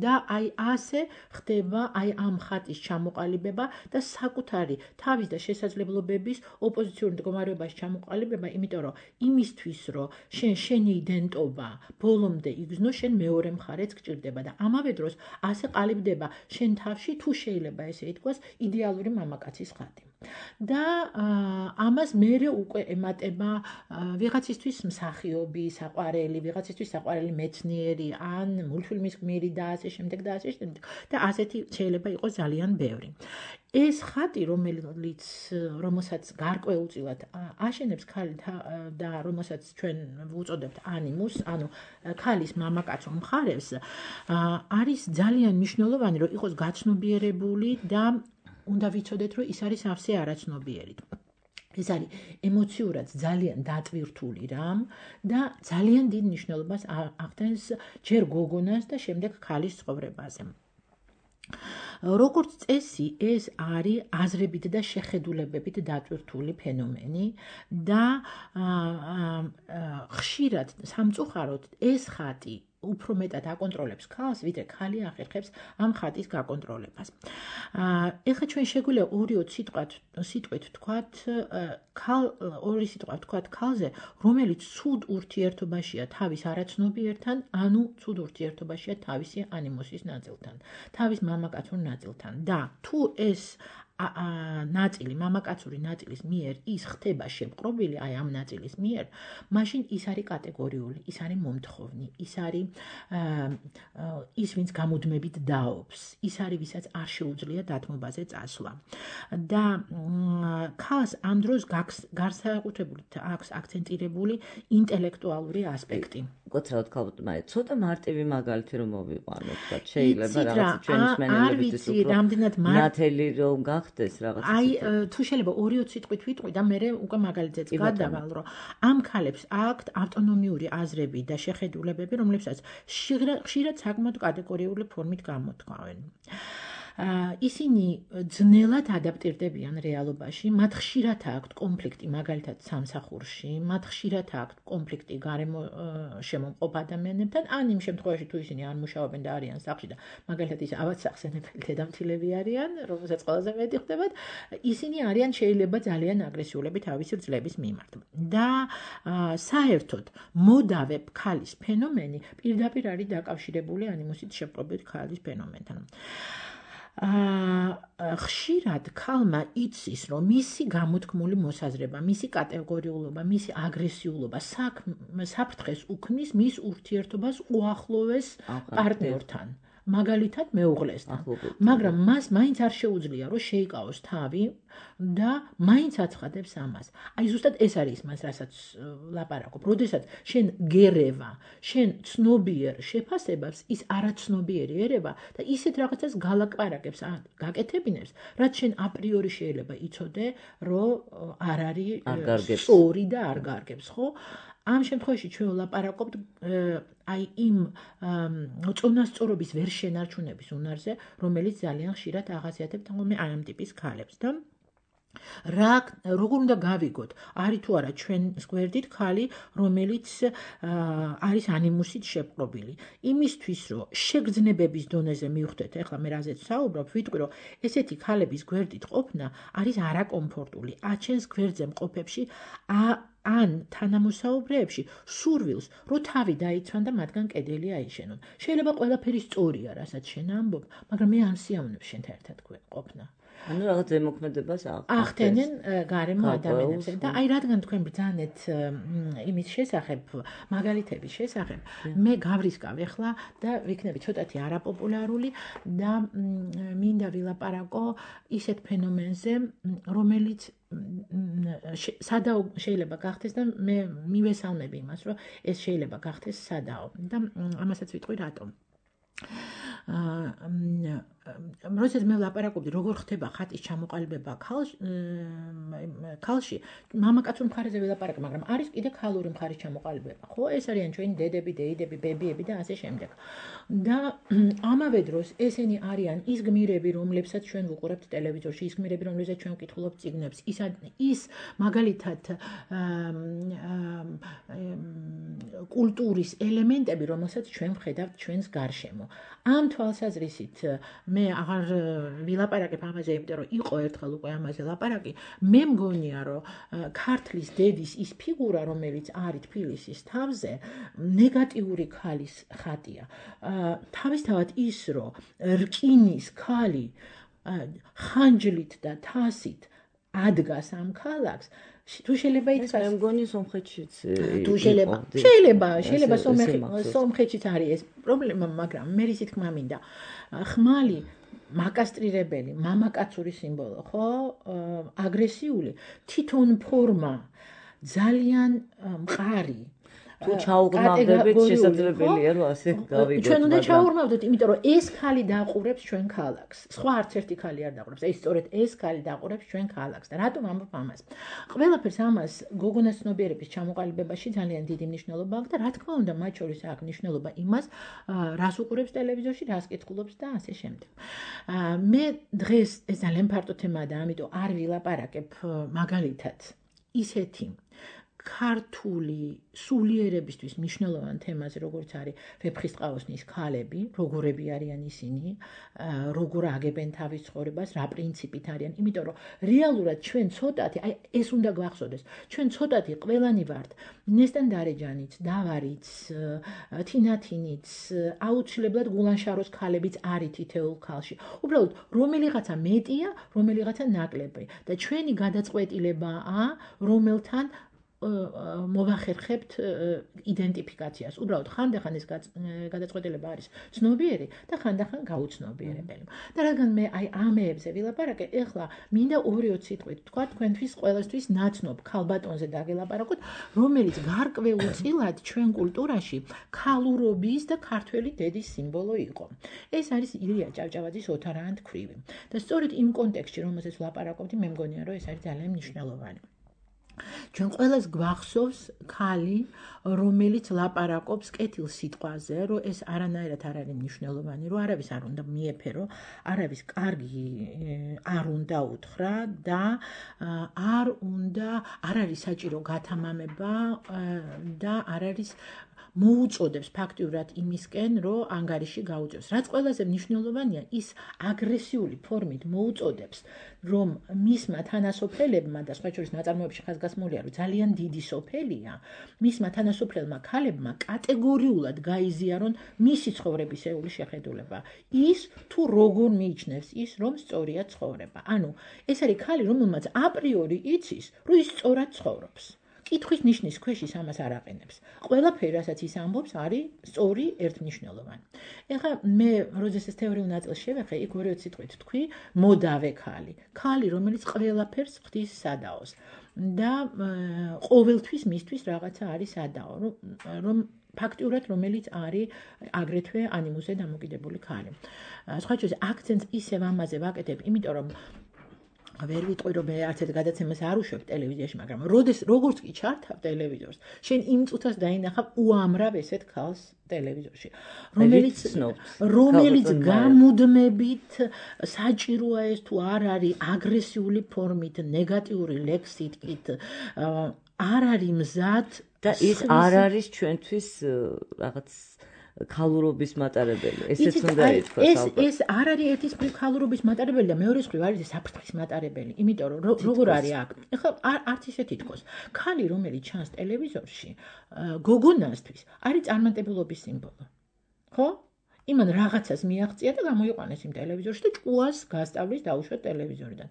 და აი ასე ხდება აი ამ ხატის ჩამოყალიბება და საკუთარი თავის და შესაძლებლობების ოპოზიციურ მდგომარეობაში ჩამოყალიბება, იმიტომ რომ იმისთვის, რომ შენ შენი იდენტობა ბოლომდე იგრძნო, შენ მეორე მხარეც გჭირდება და ამავე დროს ასე ყალიბდება შენ თავში, თუ შეიძლება ესე ითქვას, იდეალური მამაკაცის ხატი. და ამას მერე უკვე ემატება ვიღაცისთვის მსახიობი, საყვარელი, ვიღაცისთვის საყვარელი მეცნიერი, ან მულტფილმის გმირი და ასე შემდეგ და ასე შემდეგ. და ასეთი შეიძლება იყოს ძალიან ბევრი. ეს ხატი, რომელიც რომელსაც გარკვეულწილად აშენებს ქალი და რომელსაც ჩვენ ვუწოდებთ ანიმუს, ანუ ქალის მამაკაცო მხარეს, არის ძალიან მნიშვნელოვანი, რომ იყოს გაცნობიერებული და უნდა ვიცოდეთ, რომ ის არის სავსე არაცნობიერი. ეს არის ემოციურად ძალიან დატვირთული რამ და ძალიან დიდ მნიშვნელობას ახდენს ჯერ გოგონას და შემდეგ ქალის ცხოვრებაზე. როგორც წესი, ეს არის აზრებით და შეხედულებებით დატვირთული ფენომენი და ხშირად სამწუხაროდ ეს ხატი უფრო მეტად აკონტროლებს ქალს, ვიდრე ქალი ახერხებს ამ ხატის გაკონტროლებას. ეხლა ჩვენ შეგვიძლია ორი სიტყვით ვთქვათ, ორი სიტყვა ვთქვათ ქალზე, რომელიც ცუდ ურთიერთობაშია თავის არაცნობიერთან, ანუ ცუდ ურთიერთობაშია თავისი ანიმუსის ნაწილთან, თავის მამაკაცურ ნაწილთან. და თუ ეს ნაწილი, მამაკაცური ნაწილის მიერ ის ხდება შემპყრობილი, აი ამ ნაწილის მიერ, მაშინ ის არის კატეგორიული, ის არის მომთხოვნი, ის არის ის, ვინც გამუდმებით დაობს, ის არის, ვისაც არ შეუძლია დათმობაზე წასვლა. და ქალს ამ დროს განსაკუთრებით აქვს აქცენტირებული ინტელექტუალური ასპექტი. კოცრავად ქალბატონმა, ცოტა მარტივი მაგალითი რომ მოვიყვანოთ, თქვა, შეიძლება რაღაცა ჩვენი მსმენელებისთვის უფრო ნათელი რომ გახდეს რაღაცა. აი, თუ შეიძლება ორი-ოც სიტყვით ვიტყვი და მე უკვე მაგალითზეც გადავალ, რომ ამ ქალებს აქვთ ავტონომიური აზრები და შეხედულებები, რომლებსაც ხშირად საკმაოდ კატეგორიული ფორმით გამოთქვამენ. ისინი ძნელად ადაპტირდებიან რეალობაში, მათ ხშირად აქვთ კონფლიქტი მაგალითად სამსახურში, მათ ხშირად აქვთ კონფლიქტი გარემო შემომყოფ ადამიანებთან, ან იმ შემთხვევაში თუ ისინი არ მუშაობენ და არიან სახლში და მაგალითად ის ავადსახსენებელი დედამთილები არიან, რომელსაც ყველაზე მეტი ხდებათ, ისინი არიან შეიძლება ძალიან აგრესიულები თავისი ძლების მიმართ. და საერთოდ მოდავე ქალის ფენომენი პირდაპირ არის დაკავშირებული ანიმუსით შეპყრობილ ქალის ფენომენთან. ხშირად ქალმა იცის, რომ მისი გამოთქმული მოსაზრება, მისი კატეგორიულობა, მისი აგრესიულობა საფრთხეს უქმნის მის ურთიერთობას უახლოვეს პარტნიორთან, მაგალითად მეუღლესთან. მაგრამ მას მაინც არ შეუძლია, რომ შეიკავოს თავი და მაინც აცხადებს ამას. აი ზუსტად ეს არის მას, რასაც ლაპარაკობ. როდესაც შენ გერევა, შენ ცნობიერ შეფასებას, ის არაცნობიერი ერევა და ისეთ რაღაცას გალაპარაკებს, გაკეთებინებს, რაც შენ აპრიორი შეიძლება იცოდე, რომ არ არის სწორი და არ გარგებს, ხო? ამ შემთხვევაში ჩვენ ვლაპარაკობთ აი იმ წონასწორობის ვერ შენარჩუნების უნარზე, რომელიც ძალიან ხშირად ახასიათებთ ხოლმე აი ამ ტიპის ქალებს და რა როგორ უნდა გავიგოთ, არის თუ არა ჩვენს გვერდით ქალი, რომელიც არის ანიმუსით შეპყრობილი. იმისთვის, რომ შეგრძნებების დონეზე მივხვდეთ, ეხლა მე რაზეც ვსაუბრობ, ვიტყვი, რომ ესეთი ქალების გვერდით ყოფნა არის არაკომფორტული. აჩენს გვერდზე მყოფებში ან თანამოსაუბრეებში სურვილს, რომ თავი დაიცვან და მათგან კედელი აიშენონ. შეიძლება ყველაფერი სწორია, რასაც შენ ამბობ, მაგრამ მე არ სიამოვნებ შენთან ერთად ყოფნა. ანუ რაღაც ზემოქმედებას ახდენენ გარემო ადამიანებზე და აი რადგან თქვენ ბრძანეთ იმის შესახებ, მაგალითების შესახებ, მე გავრისკავ ახლა და ვიქნები ცოტათი არაპოპულარული და მინდა ვილაპარაკო ისეთ ფენომენზე, რომელიც სადაო შეიძლება გახდეს და მე მივესალმები იმას, რომ ეს შეიძლება გახდეს სადაო და ამასაც ვიტყვი რატომ. როდესაც მე ვლაპარაკობდი, როგორ ხდება ხატის ჩამოყალიბება ქალში, მამაკაცურ მხარეზე ვილაპარაკე, მაგრამ არის კიდე ქალური მხარის ჩამოყალიბება, ხო? ეს არიან ჩვენი დედები, დეიდები, ბებიები და ასე შემდეგ. და ამავე დროს ესენი არიან ის გმირები, რომლებსაც ჩვენ ვუყურებთ ტელევიზორში, ის გმირები, რომლებსაც ჩვენ ვკითხულობთ წიგნებს, ის ის მაგალითად კულტურის ელემენტები, რომელსაც ჩვენ ვხედავთ ჩვენს გარშემო. ამ თვალსაზრისით მე აღარ ვილაპარაკებ ამაზე, იმიტომ რომ იყო ერთხელ უკვე ამაზე ლაპარაკი. მე მგონია, რომ ქართლის დედის ის ფიგურა, რომელიც არის თბილისის თავზე, ნეგატიური ქალის ხატია. თავისთავად ის, რომ რკინის ქალი ხანჯლით და თასით ადგას ამ ქალაქს, თუ შეიძლება ითქვას, მე მგონი სომხეთშიც თუ შეიძლება, შეიძლება, შეიძლება სომხეთშიც არის ეს პრობლემა, მაგრამ მე რისი თქმა მინდა. ხმალი მაკასტრირებელი, მამაკაცური სიმბოლო, ხო? აგრესიული, თვითონ ფორმა ძალიან მყარი. თუ ჩაუღრმავდებით, შესაძლებელია რომ ასე გავიგოთ. ჩვენ უნდა ჩაუღრმავდეთ, იმიტომ რომ ეს ქალი დაყურებს ჩვენ ქალაქს. სხვა არც ერთი ქალი არ დაყურებს. ეს სწორედ ეს ქალი დაყურებს ჩვენ ქალაქს. და რატომ ამბობ ამას? ყველაფერს ამას გოგონას ცნობიერების ჩამოყალიბებაში ძალიან დიდი მნიშვნელობა აქვს და რა თქმა უნდა, მათ შორის აქვს მნიშვნელობა იმას, რას უყურებს ტელევიზორში, რას კითხულობს და ასე შემდეგ. მე დღეს ეს ძალიან ფართო თემაა და ამიტომ არ ვილაპარაკებ მაგალითად ისეთი ქართული სულიერებისთვის მნიშვნელოვან თემაზე, როგორც არის ვეფხისტყაოსნის ქალები, როგორები არიან ისინი, როგორ აგებენ თავის ცხოვრებას, რა პრინციპით არიან, იმიტომ რომ რეალურად ჩვენ ცოტათი, აი ეს უნდა გვახსოვდეს, ჩვენ ცოტათი ყველანი ვართ, ნესტან დარეჯანიც, დავარიც, თინათინიც, აუცილებლად გულანშაროს ქალებიც არის თითოეულ ქალში. უბრალოდ რომელიღაცა მეტია, რომელიღაცა ნაკლები და ჩვენი გადაწყვეტილებაა, რომელთან მოვახერხებთ იდენტიფიკაციას. უბრალოდ ხანდახან ეს გადაწყვეტილება არის ცნობიერი და ხანდახან გაუცნობიერებელი. და რადგან მე აი ამეებზე ვილაპარაკე, ეხლა მინდა ორი-ოც სიტყვით თქვა თქვენთვის ყველასთვის ნაცნობ ქალბატონზე დაგელაპარაკოთ, რომელიც გარკვეულწილად ჩვენ კულტურაში ქალურობის და ქართველი დედის სიმბოლო იყო. ეს არის ილია ჭავჭავაძის ოთარაანთ ქვრივი. და სწორედ იმ კონტექსტში, რომელზეც ვლაპარაკობდი, მე მგონია, რომ ეს არის ძალიან მნიშვნელოვანი. ჩვენ ყველას გვახსოვს ქალი, რომელიც ლაპარაკობს კეთილ სიტყვაზე, რომ ეს არანაირად არ არის მნიშვნელოვანი, რომ არავის არ უნდა მიეფერო, არავის კარგი არ უნდა უთხრა და არ უნდა არ არის საჭირო გათამამება და არ არის მოუწოდებს ფაქტიურად იმისკენ, რომ ანგარიში გაუწევს. რაც ყველაზე მნიშვნელოვანია, ის აგრესიული ფორმით მოუწოდებს, რომ მისმა თანასოფელებმა და სხვა შორის ნაწარმოებში ხაზგასმულია, რომ ძალიან დიდი სოფელია, მისმა თანასოფლელმა ქალებმა კატეგორიულად გაიზიარონ მისი ცხოვრებისეული შეხედულება. ის თუ როგორ მიიჩნევს ის, რომ სწორია ცხოვრება. ანუ ეს არის ქალი, რომელმაც აპრიორი იცის, რომ ის სწორად ცხოვრობს. კითხვის ნიშნის ქვეშ ის ამას არ აყენებს. ყველაფერი, რასაც ის ამბობს, არის სწორი, ერთმნიშვნელოვანი. ეხლა მე, როდესაც ეს თეორიულ ნაწილს შევეხე, იქ ორი-ოც სიტყვით თქვი, მოდავე ქალი. ქალი, რომელიც ყველაფერს ხდის სადაოს და ყოველთვის მისთვის რაღაცა არის სადაო, რომ ფაქტიურად რომელიც არის აგრეთვე ანიმუსზე დამოკიდებული ქალი. სხვა შორის აქცენტს ისევ ამაზე ვაკეთებ, იმიტომ რომ ვერ ვიტყვი რომ მე არც ერთ გადაცემას არ უშვებ ტელევიზიაში, მაგრამ როდეს როგორც კი ჩართავ ტელევიზორს, შენ იმ წუთას დაინახავ უამრავ ესეთ ქალს ტელევიზორში, რომელიც რომელიც გამუდმებით საჭიროა ეს თუ არ არის აგრესიული ფორმით, ნეგატიური ლექსითით, არ არის მზად და ის არ არის ჩვენთვის რაღაც ქალურობის მატარებელი. ესეც უნდა ითქვას ალბათ. ეს ეს არ არის ერთის მხრივ ქალურობის მატარებელი და მეორე მხრივ არის საფრთხის მატარებელი. იმიტომ რომ როგორ არის აქ? ეხლა არც ისეთი თქოს. ქალი, რომელიც ჩანს ტელევიზორში, გოგონასთვის არის წარმატებულობის სიმბოლო. ხო? იმან რაღაცას მიაღწია და გამოიყვანეს იმ ტელევიზორში და ჭკუას გასწავლის დაუშვათ ტელევიზორიდან.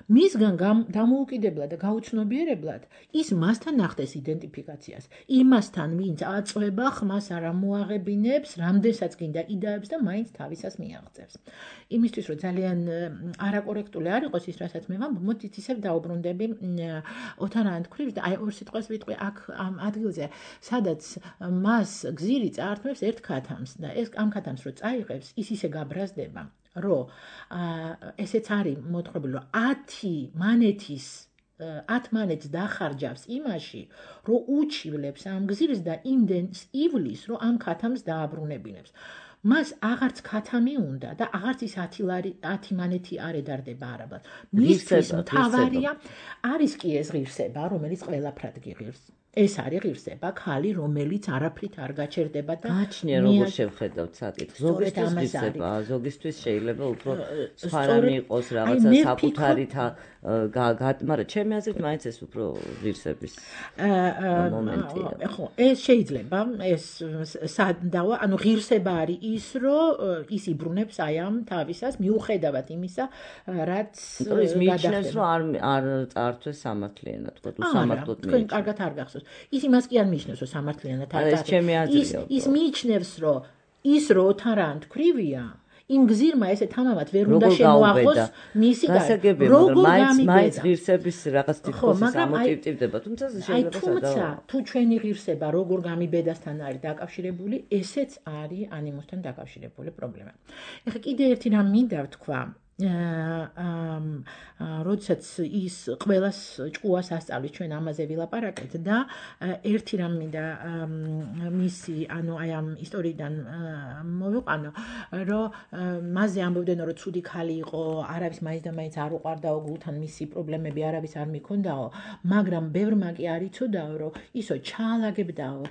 მისგან დამოუკიდებლად და გაუცნობიერებლად ის მასთან ახდენს იდენტიფიკაციას. იმასთან, ვინც აწვება, ხმას არ ამოაღებინებს, რამდენსაც გინდა იდაებს და მაინც თავისას მიაღწევს. იმისთვის, რომ ძალიან არაკორექტული არ იყოს ის, რასაც მე ვამბობ, მოდით ისევ დაუბრუნდები ოთარ ანთქვრივს და აი ორ სიტყვას ვიტყვი აქ ამ ადგილზე, სადაც მას გზირი წაართმევს ერთ ქათამს და ეს ამ ქათამს რო წაიღებს, ის ისე გაბრაზდება, რომ ესეც არის მოთხრობილი, რომ ათი მანეთის ათ მანეთს დახარჯავს იმაში, რომ უჩივლებს ამ გზირს და იმდენს ივლის, რომ ამ ქათამს დააბრუნებინებს. მას აღარც ქათამი უნდა და აღარც ის ათი მანეთი არ ედარდება არაბად. მისთვის მთავარია არის კი ეს ღირსება, რომელიც ყველაფრად გიღირს. ეს არის ღირსება, ქალი, რომელიც არაფრით არ გაჩერდება და გააჩნია როგორ შევხედავთ საკითხს. ზოგისთვის ღირსება, ზოგისთვის შეიძლება უფრო სხვა რამე იყოს, რაღაცა საკუთარი მაგრამ ჩემი აზრით მაინც ეს უფრო ღირსების მომენტია. ხო, ეს შეიძლება, ეს სადავა, ანუ ღირსება არის ის, რომ ის იბრუნებს აი ამ თავისას, მიუხედავად იმისა, რაც ის მიიჩნევს, რომ არ არ წაართვეს სამართლიანად, თქო, უსამართლოდ მიიჩნევს. თქვენ კარგად არ გახსოვს. ის იმას კი არ მიიჩნევს, რომ სამართლიანად არ წაართვეს. ის ის მიიჩნევს, რომ ის რო ოთარ ანთქვრივია, იმ გზირმა ესე თამამად ვერ უნდა შემოაღოს მისი გასაგებია, მაგრამ მაინც მაინც ღირსების რაღაც თითქოს ამოტივტივდება, თუმცა შეიძლება თუმცა თუ ჩვენი ღირსება როგორ გამიბედასთან არის დაკავშირებული, ესეც არის ანიმუსთან დაკავშირებული პრობლემა. ეხლა კიდე ერთი რამ მინდა ვთქვა. როდესაც ის ყველას ჭკუას ასწავლის, ჩვენ ამაზე ვილაპარაკეთ და ერთი რამ მინდა მისი, ანუ აი ამ ისტორიიდან მოვიყვანო, რომ მასზე ამბობდნენ, რომ ცუდი ქალი იყო, არავის მაინც და მაინც არ უყვარდაო, გულთან მისი პრობლემები არავის არ მიქონდაო, მაგრამ ბევრმა კი არ იცოდაო, რომ ისო ჩაალაგებდაო,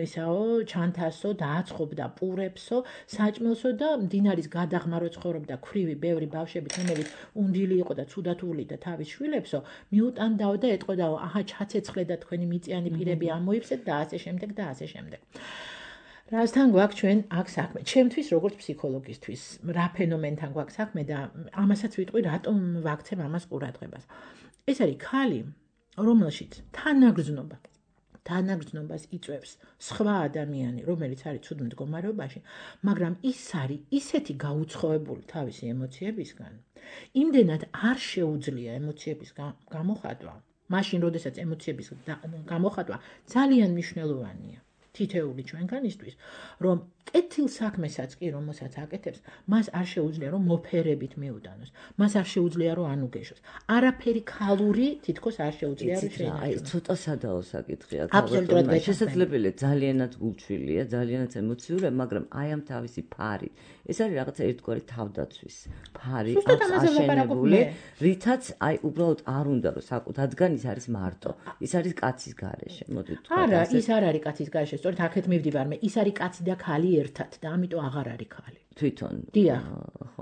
ისაო, ჩანთასო, დააცხობდა პურებსო, საჭმელსო და მდინარის გადაღმარო ცხოვრობდა ქვრივი ბევრი ბავშვები, რომელიც უნდილი იყო და ცუდათული და თავის შვილებსო, მიუტანდაო და ეტყოდაო, აჰა, ჩაცეცხლე და თქვენი მიწიანი პირები ამოიფსეთ და ასე შემდეგ და ასე შემდეგ. რასთან გვაქვს ჩვენ აქ საქმე? ჩემთვის როგორც ფსიქოლოგისთვის, რა ფენომენთან გვაქვს საქმე და ამასაც ვიტყვი, რატომ ვაქცევ ამას ყურადღებას. ეს არის ქალი, რომელშიც თანაგრძნობა თანაგრძნობას იწვევს სხვა ადამიანი, რომელიც არის ცუდ მდგომარეობაში, მაგრამ ის არის ისეთი გაუცხოებული თავისი ემოციებისგან, იმდენად არ შეუძლია ემოციების გამოხატვა, მაშინ, როდესაც ემოციების გამოხატვა ძალიან მნიშვნელოვანია თითეული ჩვენგანისთვის, რომ კეთილ საქმესაც კი რომელსაც აკეთებს, მას არ შეუძლია რომ მოფერებით მიუტანოს, მას არ შეუძლია რომ ანუგეშოს. არაფერი ქალური თითქოს არ შეუძლია რომ შეინახოს. აი, ცოტა სადაო საკითხია, ალბათ შესაძლებელია ძალიანად გულჩვილია, ძალიანად ემოციურია, მაგრამ აი ამ თავისი ფარი, ეს არის რაღაცა ერთგვარი თავდაცვის ფარი, აშენებული, რითაც აი უბრალოდ არ უნდა რომ საკუთადგან ის არის მარტო, ის არის კაცის გარეშე, მოდით ვთქვათ. არა, ის არ არის კაცის გარეშე, სწორედ აქეთ მივდივარ მე, ის არის კაცი და ქალი ერთად და ამიტომ აღარ არის ქალი. თვითონ. დიახ.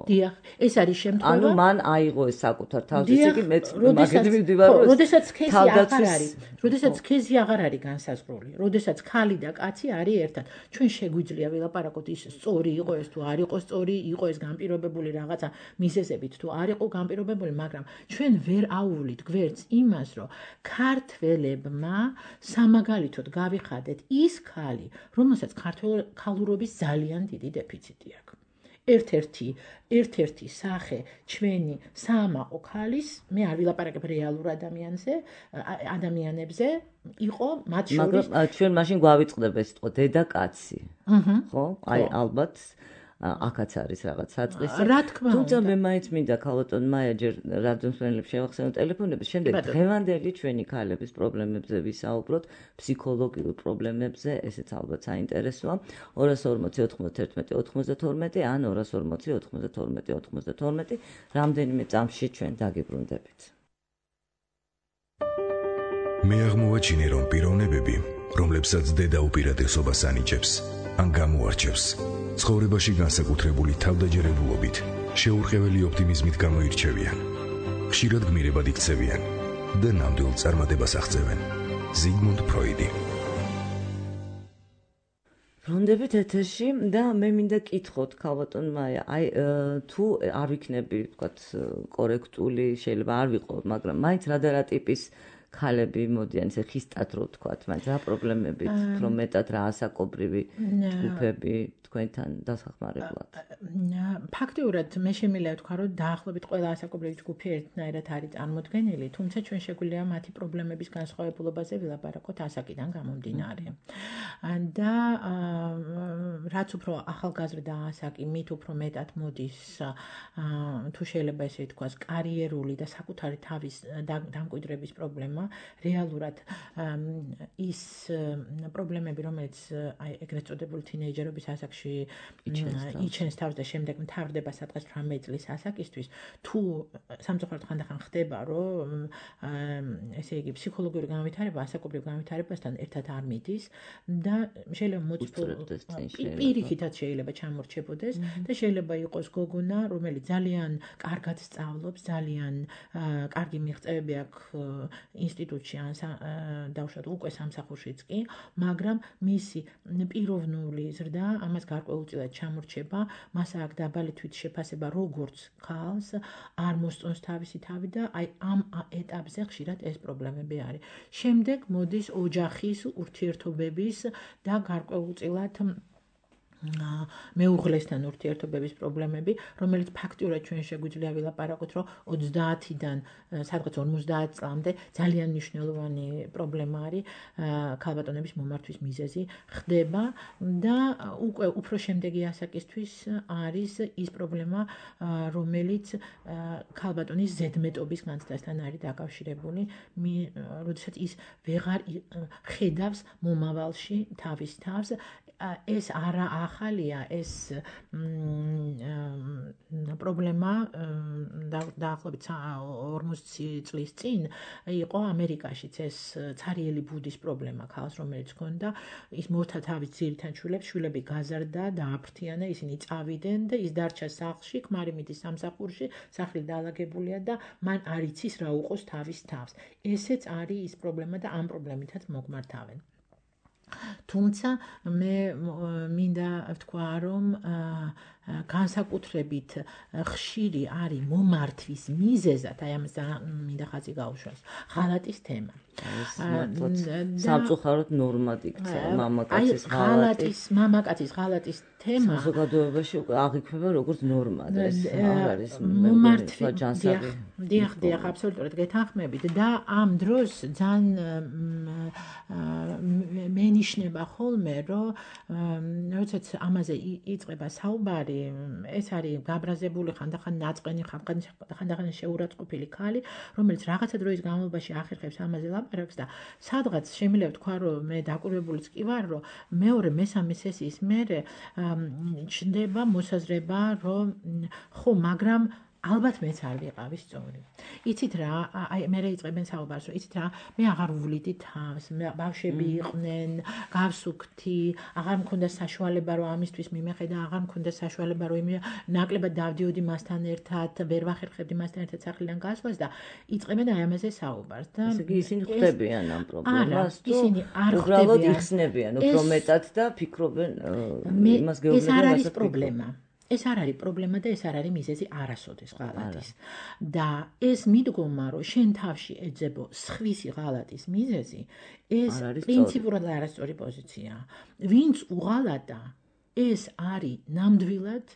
დიახ, ეს არის შემთხვევა. ანუ მან აიღო ეს საკუთარ თავს, ესე იგი მეც მაგით მივდივარ, რომ როდესაც სქესი აღარ არის, როდესაც სქესი აღარ არის განსაზღვრული, როდესაც ქალი და კაცი არის ერთად. ჩვენ შეგვიძლია ვილაპარაკოთ ის სწორი იყო ეს თუ არ იყო სწორი, იყო ეს განპირობებული რაღაცა მიზეზებით თუ არ იყო განპირობებული, მაგრამ ჩვენ ვერ აუვლით გვერდს იმას, რომ ქართველებმა სამაგალითოდ გავიხადეთ ის ქალი, რომელსაც ქალურობის ძალიან დიდი დეფიციტი აქვს. ერთ-ერთი ერთ-ერთი სახე ჩვენი საამაყო ქალის, მე არ ვილაპარაკებ რეალურ ადამიანზე, ადამიანებზე, იყო მათ შორის. მაგრამ ჩვენ მაშინ გვავიწყდება ეს თქო დედაკაცი. ხო? აი ალბათ აქაც არის რაღაც საწყისი. რა თქმა უნდა. თუმცა მე მაინც მინდა ქალბატონ მაია ჯერ რადიომსმენელებს შევახსენო ტელეფონების, შემდეგ დღევანდელი ჩვენი ქალების პრობლემებზე ვისაუბროთ, ფსიქოლოგიურ პრობლემებზე, ესეც ალბათ საინტერესოა. ორას ორმოცი ოთხმოცდაერთმეტი ოცდათორმეტი ან ორას ორმოცი ოთხმოცდათორმეტი ოცდათორმეტი რამდენიმე წამში ჩვენ დაგიბრუნდებით. მე აღმოვაჩინე, რომ პიროვნებები, რომლებსაც დედა უპირატესობას ანიჭებს, ან გამოარჩევს, ცხოვრებაში განსაკუთრებული თავდაჯერებულობით, შეურყეველი ოპტიმიზმით გამოირჩევიან. ხშირად გმირებად იქცევიან და ნამდვილ წარმატებას აღწევენ. ზიგმუნდ ფროიდი. რომ გონდებით ეთერში და მე მინდა კითხოთ ქალბატონ მაია, აი თუ არ ვიქნები, ვთქვათ, კორექტული, შეიძლება არ ვიყო, მაგრამ მაინც რა და რა ტიპის ქალები მოდიან, ესე ხისტად რო ვთქვათ, მაინც რა პრობლემებით, უფრო მეტად რა ასაკობრივი ჯგუფები თქვენთან დასახმარებლად. ფაქტიურად მე შემიძლია ვთქვა, რომ დაახლოებით ყველა ასაკობრივი ჯგუფი ერთნაირად არის წარმოდგენილი, თუმცა ჩვენ შეგვიძლია მათი პრობლემების განსხვავებულობაზე ვილაპარაკოთ ასაკიდან გამომდინარე. და რაც უფრო ახალგაზრდა ასაკი, მით უფრო მეტად მოდის თუ შეიძლება ესე ვთქვას, კარიერული და საკუთარი თავის დამკვიდრების პრობლემა, რეალურად ის პრობლემები, რომელიც აი ეგრეთ წოდებული თინეიჯერობის ასაკში იჩენს თავს და შემდეგ მთავრდება სადღაც თვრამეტი წლის ასაკისთვის, თუ სამწუხაროდ ხანდახან ხდება, რომ ესე იგი ფსიქოლოგიური განვითარება ასაკობრივ განვითარებასთან ერთად არ მიდის და შეიძლება მოწფულდეს პირიქითაც შეიძლება ჩამორჩებოდეს და შეიძლება იყოს გოგონა, რომელიც ძალიან კარგად სწავლობს, ძალიან კარგი მიღწევები აქვს ინსტიტუტში ან დავუშვათ უკვე სამსახურშიც კი, მაგრამ მისი პიროვნული ზრდა ამას გარკვეულწილად ჩამორჩება, მას აქვს დაბალი თვითშეფასება როგორც ქალს, არ მოსწონს თავისი თავი და აი ამ ეტაპზე ხშირად ეს პრობლემები არის. შემდეგ მოდის ოჯახის ურთიერთობების და გარკვეულწილად მეუღლესთან ურთიერთობების პრობლემები, რომელიც ფაქტიურად ჩვენ შეგვიძლია ვილაპარაკოთ, რომ ოცდაათიდან სადღაც ორმოცდაათ წლამდე ძალიან მნიშვნელოვანი პრობლემა არის ქალბატონების მომართვის მიზეზი ხდება და უკვე უფრო შემდეგი ასაკისთვის არის ის პრობლემა, რომელიც ქალბატონის ზედმეტობის განცდასთან არის დაკავშირებული, როდესაც ის ვეღარ ხედავს მომავალში თავის თავს. ეს არა ახალია, ეს პრობლემა დაახლოებით ორმოცი წლის წინ იყო ამერიკაშიც, ეს ცარიელი ბუდის პრობლემა ქალს, რომელიც ჰქონდა, ის მოთა თავის ძირთან შვილებს, შვილები გაზარდა, დააფრთიანა, ისინი წავიდნენ და ის დარჩა სახლში, ქმარი მიდის სამსახურში, სახლი დაალაგებულია და მან არ იცის რა უყოს თავის თავს. ესეც არის ის პრობლემა და ამ პრობლემითაც მოგმართავენ. თუმცა მე მინდა ვთქვა, რომ განსაკუთრებით ხშირი არის მომართვის მიზეზად, აი ამას მინდა ხაზი გაუშვას, ღალატის თემა. სამწუხაროდ ნორმად იქცა მამაკაცის ღალატის, მამაკაცის ღალატის თემა საზოგადოებაში აღიქვება როგორც ნორმა და ეს არ არის მომართვის ჯანსაღი. დიახ, დიახ, აბსოლუტურად გეთანხმებით და ამ დროს ძალიან მენიშნება ხოლმე, რომ როდესაც ამაზე იწყება საუბარი, ეს არის გაბრაზებული ხანდახან ნაწყენი, ხანდახან შეურაცხყოფილი ქალი, რომელიც რაღაცა დროის განმავლობაში ახერხებს ამაზე ლაპარაკს და სადღაც შემიძლია ვთქვა, რომ მე დაკვირვებულიც კი ვარ, რომ მეორე მესამე სესიის მერე ჩნდება მოსაზრება, რომ ხო, მაგრამ ალბათ მეც არ ვიყავი სწორი. იცით რა, აი მე იწყებენ საუბარს, რომ იცით რა, მე აღარ ვვლიდი თავს, ბავშვები იყვნენ, გავსუქთი, აღარ მქონდა საშუალება, რომ ამისთვის მიმეხედა, აღარ მქონდა საშუალება, რომ ნაკლებად დავდიოდი მასთან ერთად, ვერ ვახერხებდი მასთან ერთად სახლიდან გასვლას და იწყებენ აი ამაზე საუბარს და ესე იგი ისინი ხვდებიან ამ პრობლემას, ისინი არ ხვდებიან, უბრალოდ იხსნებიან უფრო მეტად და ფიქრობენ იმას გეუბნებიან, ეს არ არის პრობლემა. ეს არ არის პრობლემა და ეს არ არის მიზეზი არასოდეს ღალატის. და ეს მიდგომა, რომ შენ თავში ეძებო სხვისი ღალატის მიზეზი, ეს პრინციპულად არასწორი პოზიციაა. ვინც უღალატა, ეს არის ნამდვილად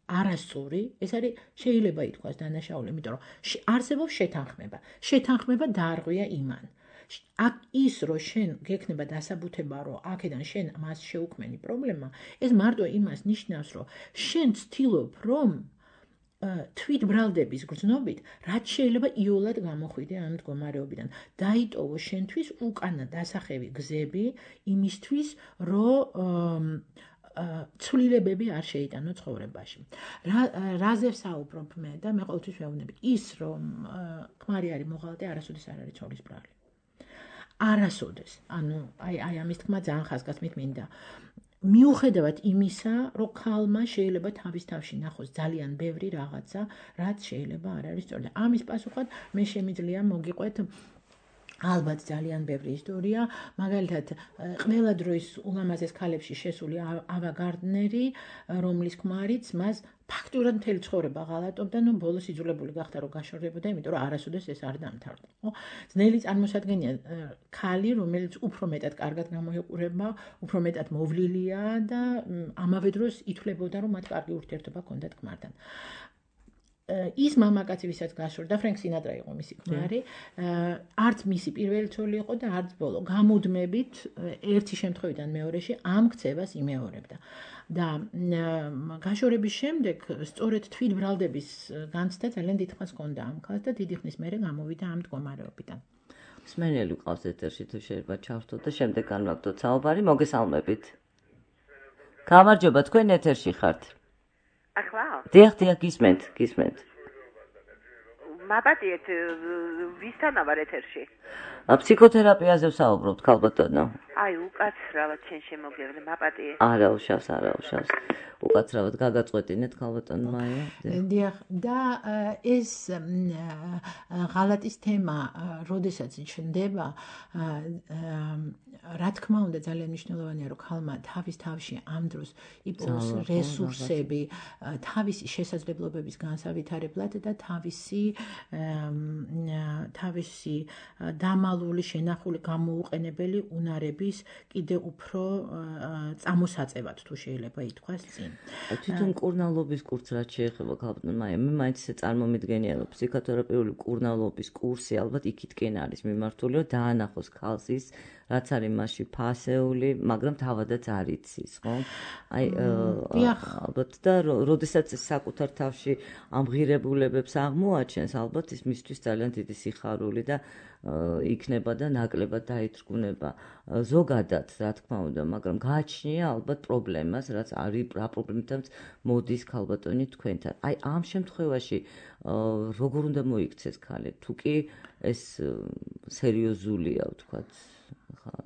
არასწორი, ეს არის შეიძლება ითქვას დანაშაული, იმიტომ რომ არსებობს შეთანხმება. შეთანხმება დაარღვია იმან. აქ ის რომ შენ გექნება დასაბუთება, რომ აქედან შენ მას შეუქმენი პრობლემა, ეს მარტო იმას ნიშნავს, რომ შენ ცდილობ, რომ თვითბრალდების გრძნობით, რაც შეიძლება იოლად გამოხვიდე ამ მდგომარეობიდან. დაიტოვო შენთვის უკანა დასახევი გზები იმისთვის, რომ ცვლილებები არ შეიტანო ცხოვრებაში. რაზე ვსაუბრობ მე და მე ყოველთვის ვეუბნები, ის რომ ქმარი არის მოღალატე, არასოდეს არ არის ცოლის ბრალი. არასოდეს, ანუ აი აი ამის თქმა ძალიან ხაზგასმით მინდა. მიუხედავად იმისა, რომ ქალმა შეიძლება თავის თავში ნახოს ძალიან ბევრი რაღაცა, რაც შეიძლება არ არის სწორი. ამის პასუხად მე შემიძლია მოგიყვეთ ალბათ ძალიან ბევრი ისტორია, მაგალითად, ყველა დროის ულამაზეს ქალებში შესული ავა გარდნერი, რომლის ქმარიც მას ფაქტურად მთელი ცხოვრება ღალატობდა, ნუ ბოლოს იძულებული გახდა რომ გაშორდებოდა, იმიტომ რომ არასოდეს ეს არ დამთავრდა, ხო? ძნელი წარმოსადგენია ქალი, რომელიც უფრო მეტად კარგად გამოიყურება, უფრო მეტად მოვლილია და ამავე დროს ითვლებოდა, რომ მათ კარგი ურთიერთობა ჰქონდათ ქმართან. ის მამაკაცი, ვისაც გაშორდა, ფრენკ სინატრა იყო მისი ქმარი, არც მისი პირველი ცოლი იყო და არც ბოლო. გამუდმებით ერთი შემთხვევიდან მეორეში ამ ქცევას იმეორებდა. და გაშორების შემდეგ სწორედ თვითბრალდების განცდა ძალიან დიდხანს ჰქონდა ამ ქალს და დიდი ხნის მერე გამოვიდა ამ მდგომარეობიდან. მსმენელი ყავს ეთერში, თუ შეიძლება ჩავრთოთ და შემდეგ განვაგდოთ საუბარი. მოგესალმებით. გამარჯობა, თქვენ ეთერში ხართ. ახლა? დიახ, დიახ, გისმენთ, გისმენთ. მაბადიეთ, ვისთანა ვარ ეთერში? ფსიქოთერაპიაზე ვსაუბრობთ, ქალბატონო. აი, უკაცრავად შენ შემოგევლე, მაბადიე. არა, უშავს, არა, უშავს. უკაცრავად გაგაწყვეტინეთ, ქალბატონო მაია. დიახ, და ეს ღალატის თემა, როდესაც ჩნდება, რა თქმა უნდა, ძალიან მნიშვნელოვანია, რომ ქალმა თავის თავში ამ დროს იპოვოს რესურსები, თავისი შესაძლებლობების განსავითარებლად და თავისი თავისი დამალული, შენახული, გამოუყენებელი უნარების კიდე უფრო წამოსაწევად, თუ შეიძლება ითქვას წინ. თვითონ კურნალობის კურსს რაც შეეხება, ქალბატონო მაია, მე მაინც წარმომიდგენია, რომ ფსიქოთერაპიული კურნალობის კურსი ალბათ იქითკენ არის მიმართული, რომ დაანახოს ქალს ის, რაც არის მასში ფასეული, მაგრამ თავადაც არ იცის, ხო? აი, ალბათ და როდესაც საკუთარ თავში ამ ღირებულებებს აღმოაჩენს, ალბათ ის მისთვის ძალიან დიდი სიხარული და იქნება და ნაკლებად დაიჭრუნება ზოგადად, რა თქმა უნდა, მაგრამ გააჩნია ალბათ პრობლემას, რაც არის რა პრობლემითაც მოდის ქალბატონი თქვენთან. აი, ამ შემთხვევაში როგორ უნდა მოიქცეს ქალი? თუ კი ეს სერიოზულია, ვთქვათ,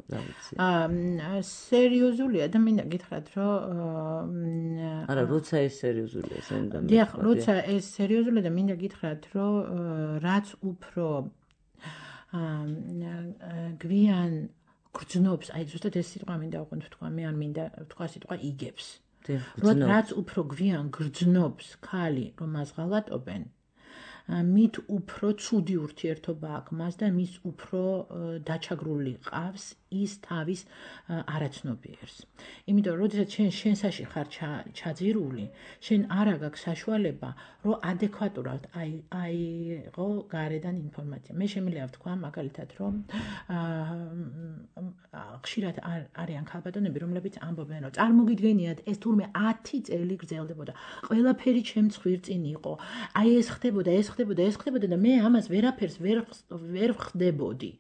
რა ვიცი. აა, სერიოზულია და მინდა გითხრათ, რომ არა, როცა ეს სერიოზულია, ეს უნდა მე. დიახ, როცა ეს სერიოზულია და მინდა გითხრათ, რომ რაც უფრო გვიან გრძნობს, აი ზუსტად ეს სიტყვა მინდა უყოთ თქვა, მე არ მინდა თქვა სიტყვა იგებს. რაც უფრო გვიან გრძნობს ქალი, რომ მას ღალატობენ, მით უფრო ცუდი ურთიერთობა აქვს მას და მის უფრო დაჩაგრული ყავს ის თავის არაცნობიერს. იმიტომ რომ როდესაც შენ შენსაში ხარ ჩაძირული, შენ არ აქვს საშუალება, რომ ადეკვატურად აიღო გარედან ინფორმაცია. მე შემიძლია ვთქვა მაგალითად, რომ ხშირად არიან ქალბატონები, რომლებიც ამბობენ, რომ წარმოგიდგენიათ, ეს თურმე ათი წელი გრძელდებოდა. ყველაფერი ჩემს ხვირწინ იყო. აი ეს ხდებოდა, ეს ხდებოდა, ეს ხდებოდა და მე ამას ვერაფერს ვერ ვერ ხდებოდი.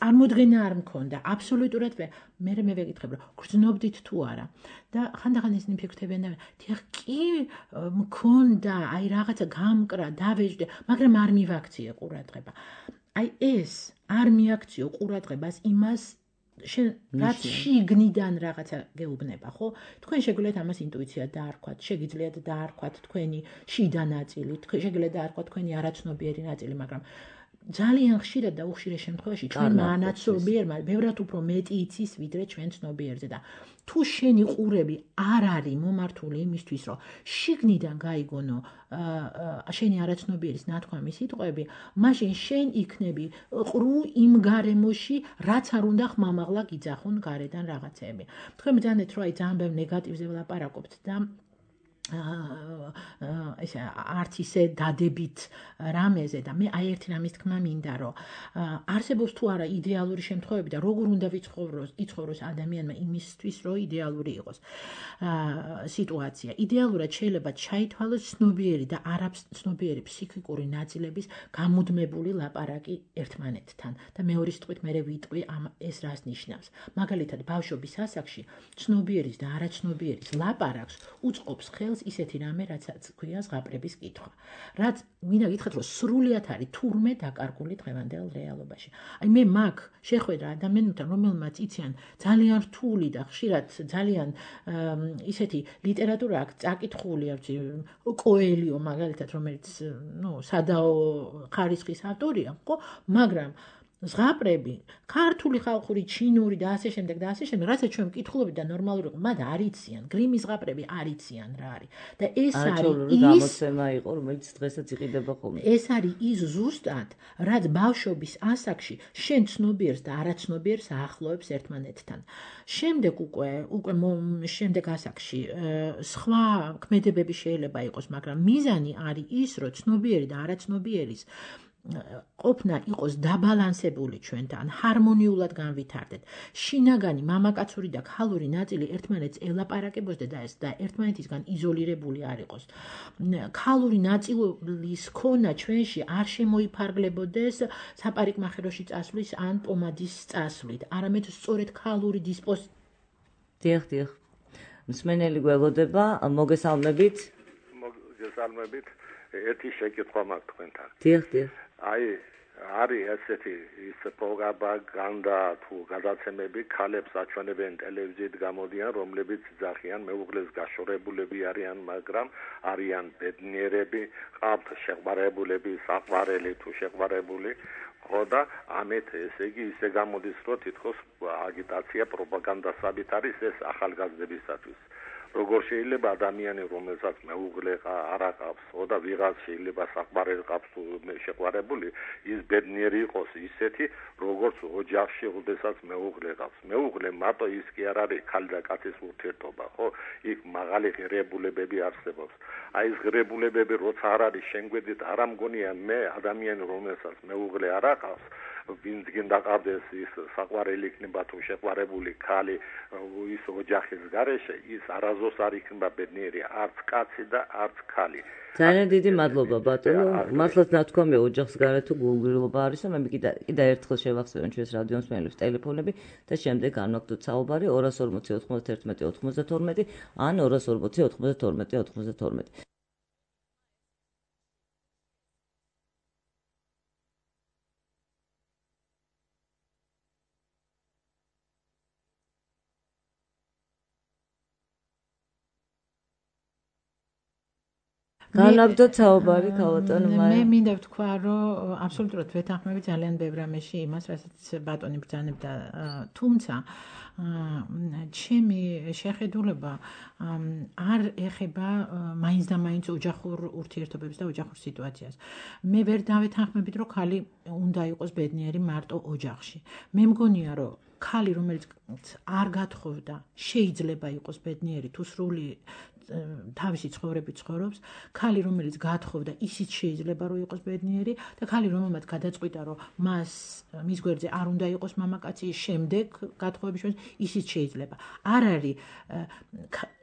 წარმოდგენა არ მქონდა, აბსოლუტურად ვერ. მე მე ვეკითხებ, რომ გრძნობდით თუ არა. და ხანდახან ისინი ფიქრობენ, დიახ, კი მქონდა, აი რაღაცა გამკრა, დავეჯდე, მაგრამ არ მივაქციე ყურადღება. აი ეს არ მიაქციო ყურადღებას იმას შენ რაც შიგნიდან რაღაცა გეუბნება, ხო? თქვენ შეგიძლიათ ამას ინტუიცია დაარქვათ, შეგიძლიათ დაარქვათ თქვენი შიდა ნაწილი, შეგიძლიათ დაარქვათ თქვენი არაცნობიერი ნაწილი, მაგრამ ძალიან ხშირად და უხშირეს შემთხვევაში ჩვენმა ანაცნობიერმა ბევრად უფრო მეტი იცის, ვიდრე ჩვენ ცნობიერზე და თუ შენი ყურები არ არის მომართული იმისთვის, რომ შიგნიდან გაიგონო შენი არაცნობიერის ნათქვამი სიტყვები, მაშინ შენ იქნები ყრუ იმ გარემოში, რაც არ უნდა ხმამაღლა გიძახონ გარედან რაღაცები. თქვენ ბრძანეთ, რომ აი ძალიან ბევრ ნეგატივზე ვლაპარაკობთ და ეს არც ისე დადებით რამეზე და მე აი ერთი რამის თქმა მინდა, რომ არსებობს თუ არა იდეალური შემთხვევები და როგორ უნდა ვიცხოვროს, იცხოვროს ადამიანმა იმისთვის, რომ იდეალური იყოს სიტუაცია. იდეალურად შეიძლება ჩაითვალოს ცნობიერი და არაცნობიერი ფსიქიკური ნაწილების გამუდმებული ლაპარაკი ერთმანეთთან და მეორე სიტყვით მე ვიტყვი ეს რას ნიშნავს. მაგალითად, ბავშვობის ასაკში ცნობიერის და არაცნობიერის ლაპარაკს უწყობს ხელ ხელს ისეთი რამე, რაცაც ქვია ზღაპრების კითხვა. რაც მინდა გითხრათ, რომ სრულიად არის თურმე დაკარგული დღევანდელ რეალობაში. აი მე მაგ შეხვედრა ადამიანებთან, რომელმაც იციან ძალიან რთული და ხშირად ძალიან ისეთი ლიტერატურა აქვს წაკითხული, არჩი კოელიო მაგალითად, რომელიც ნუ სადაო ხარისხის ავტორია, ხო, მაგრამ ზღაპრები, ქართული ხალხური, ჩინური და ასე შემდეგ და ასე შემდეგ, რასაც ჩვენ მკითხულობთ და ნორმალური ყო, მათ არ იციან, გრიმის ზღაპრები არ იციან რა არის. და ეს არის ის გამოცემა იყო, რომელიც დღესაც იყიდება ხოლმე. ეს არის ის ზუსტად, რაც ბავშვობის ასაკში შენ ცნობიერს და არაცნობიერს აახლოებს ერთმანეთთან. შემდეგ უკვე, უკვე შემდეგ ასაკში სხვა ქმედებები შეიძლება იყოს, მაგრამ მიზანი არის ის, რომ ცნობიერი და არაცნობიერის ყოფნა იყოს დაბალანსებული ჩვენთან, ჰარმონიულად განვითარდეთ. შინაგანი, მამაკაცური და ქალური ნაწილი ერთმანეთს ელაპარაკებოს და ეს და ერთმანეთისგან იზოლირებული არ იყოს. ქალური ნაწილის ქონა ჩვენში არ შემოიფარგლებოდეს საპარიკმახეროში წასვლის ან პომადის წასვლით, არამედ სწორედ ქალური დისპოზ. დიახ, დიახ. მსმენელი გველოდება, მოგესალმებით. მოგესალმებით. ერთი შეკითხვა მაქვს თქვენთან. დიახ, დიახ. აი, არის ესეთი ის პროპაგანდა თუ გადაცემები, ქალებს აჩვენებენ ტელევიზიით გამოდიან, რომლებიც ძახიან მეუღლეს გაშორებულები არიან, მაგრამ არიან ბედნიერები, ყავთ შეყვარებულები, საყვარელი თუ შეყვარებული, ხო და ამით ესე იგი ისე გამოდის, რომ თითქოს აგიტაცია პროპაგანდასაბით არის ეს ახალგაზრდებისათვის. როგორ შეიძლება ადამიანი, რომელსაც მეუღლე არ აყავს, ხო და ვიღაც შეიძლება საყვარელი ყავს თუ შეყვარებული, ის ბედნიერი იყოს ისეთი, როგორც ოჯახში, როდესაც მეუღლე ყავს. მეუღლე მარტო ის კი არ არის ქალი და კაცის ურთიერთობა, ხო? იქ მაღალი ღირებულებები არსებობს. აი ეს ღირებულებები როცა არ არის შენ გვერდით, არ ამგონია მე ადამიანი, რომელსაც მეუღლე არ აყავს, ვინც გინდა ყავდეს ის საყვარელი იქნება თუ შეყვარებული ქალი ის ოჯახის გარეშე, ის არაზოს არ იქნება ბედნიერი არც კაცი და არც ქალი. ძალიან დიდი მადლობა ბატონო. მართლაც ნათქვამია ოჯახს გარეთ თუ გულგრილობა არის, მე კიდე კიდე ერთხელ შევახსენებ ჩვენს რადიო მსმენელებს ტელეფონები და შემდეგ განვაგდოთ საუბარი ორას ორმოცი ოთხმოცდაერთმეტი ოთხმოცდათორმეტი ან ორას ორმოცი ოთხმოცდათორმეტი ოთხმოცდათორმეტი. განვაგდოთ საუბარი ქალბატონ მაია. მე მინდა ვთქვა, რომ აბსოლუტურად ვეთანხმები ძალიან ბევრ რამეში იმას, რასაც ბატონი ბრძანებდა, თუმცა ჩემი შეხედულება არ ეხება მაინც და მაინც ოჯახურ ურთიერთობებს და ოჯახურ სიტუაციას. მე ვერ დავეთანხმებით, რომ ქალი უნდა იყოს ბედნიერი მარტო ოჯახში. მე მგონია, რომ ქალი, რომელიც არ გათხოვდა, შეიძლება იყოს ბედნიერი თუ სრული თავისი ცხოვრებით ცხოვრობს, ქალი, რომელიც გათხოვდა, ისიც შეიძლება რომ იყოს ბედნიერი და ქალი, რომელმაც გადაწყვიტა, რომ მას მის გვერდზე არ უნდა იყოს მამაკაცი, შემდეგ გათხოვების შემდეგ ისიც შეიძლება. არ არის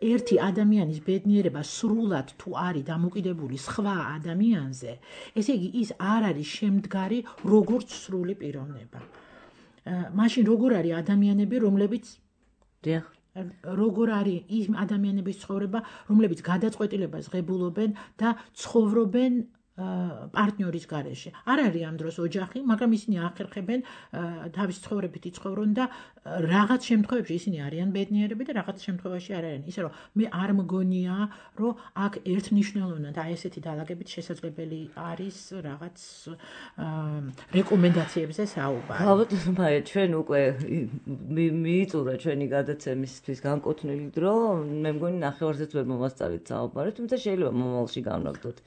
ერთი ადამიანის ბედნიერება სრულად თუ არის დამოკიდებული სხვა ადამიანზე, ესე იგი ის არ არის შემდგარი როგორც სრული პიროვნება. მაშინ როგორ არის ადამიანები, რომლებიც დიახ როგორ არის ის ადამიანების ცხოვრება, რომლებიც გადაწყვეტილებას ღებულობენ და ცხოვრობენ პარტნიორის გარეშე. არ არის ამ დროს ოჯახი, მაგრამ ისინი ახერხებენ თავის ცხოვრებით იცხოვრონ და რაღაც შემთხვევებში ისინი არიან ბედნიერები და რაღაც შემთხვევაში არ არიან. ისე რომ მე არ მგონია, რომ აქ ერთნიშნულოვნად აი ესეთი დალაგებით შესაძლებელი არის რაღაც რეკომენდაციებზე საუბარი. ბატონო მაია, ჩვენ უკვე მიიწურა ჩვენი გადაცემისთვის განკუთვნილი დრო, მე მგონი ნახევარზეც ვერ მომასწავით საუბარი, თუმცა შეიძლება მომავალში განვაგდოთ.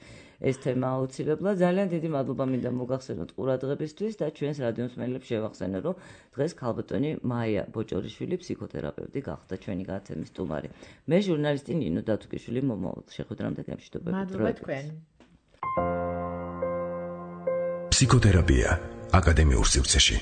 ეს თემა აუცილებლად. ძალიან დიდი მადლობა მინდა მოგახსენოთ ყურადღებისთვის და ჩვენს რადიო მსმენელებს შევახსენე, რომ დღეს ქალბატონი მაია ბოჭორიშვილი ფსიქოთერაპევტი გახდა ჩვენი გადაცემის სტუმარი. მე ჟურნალისტი ნინო დათუკიშვილი მომავალ შეხვედრამდე გამშვიდობებით. მადლობა თქვენ. ფსიქოთერაპია აკადემიურ სივრცეში.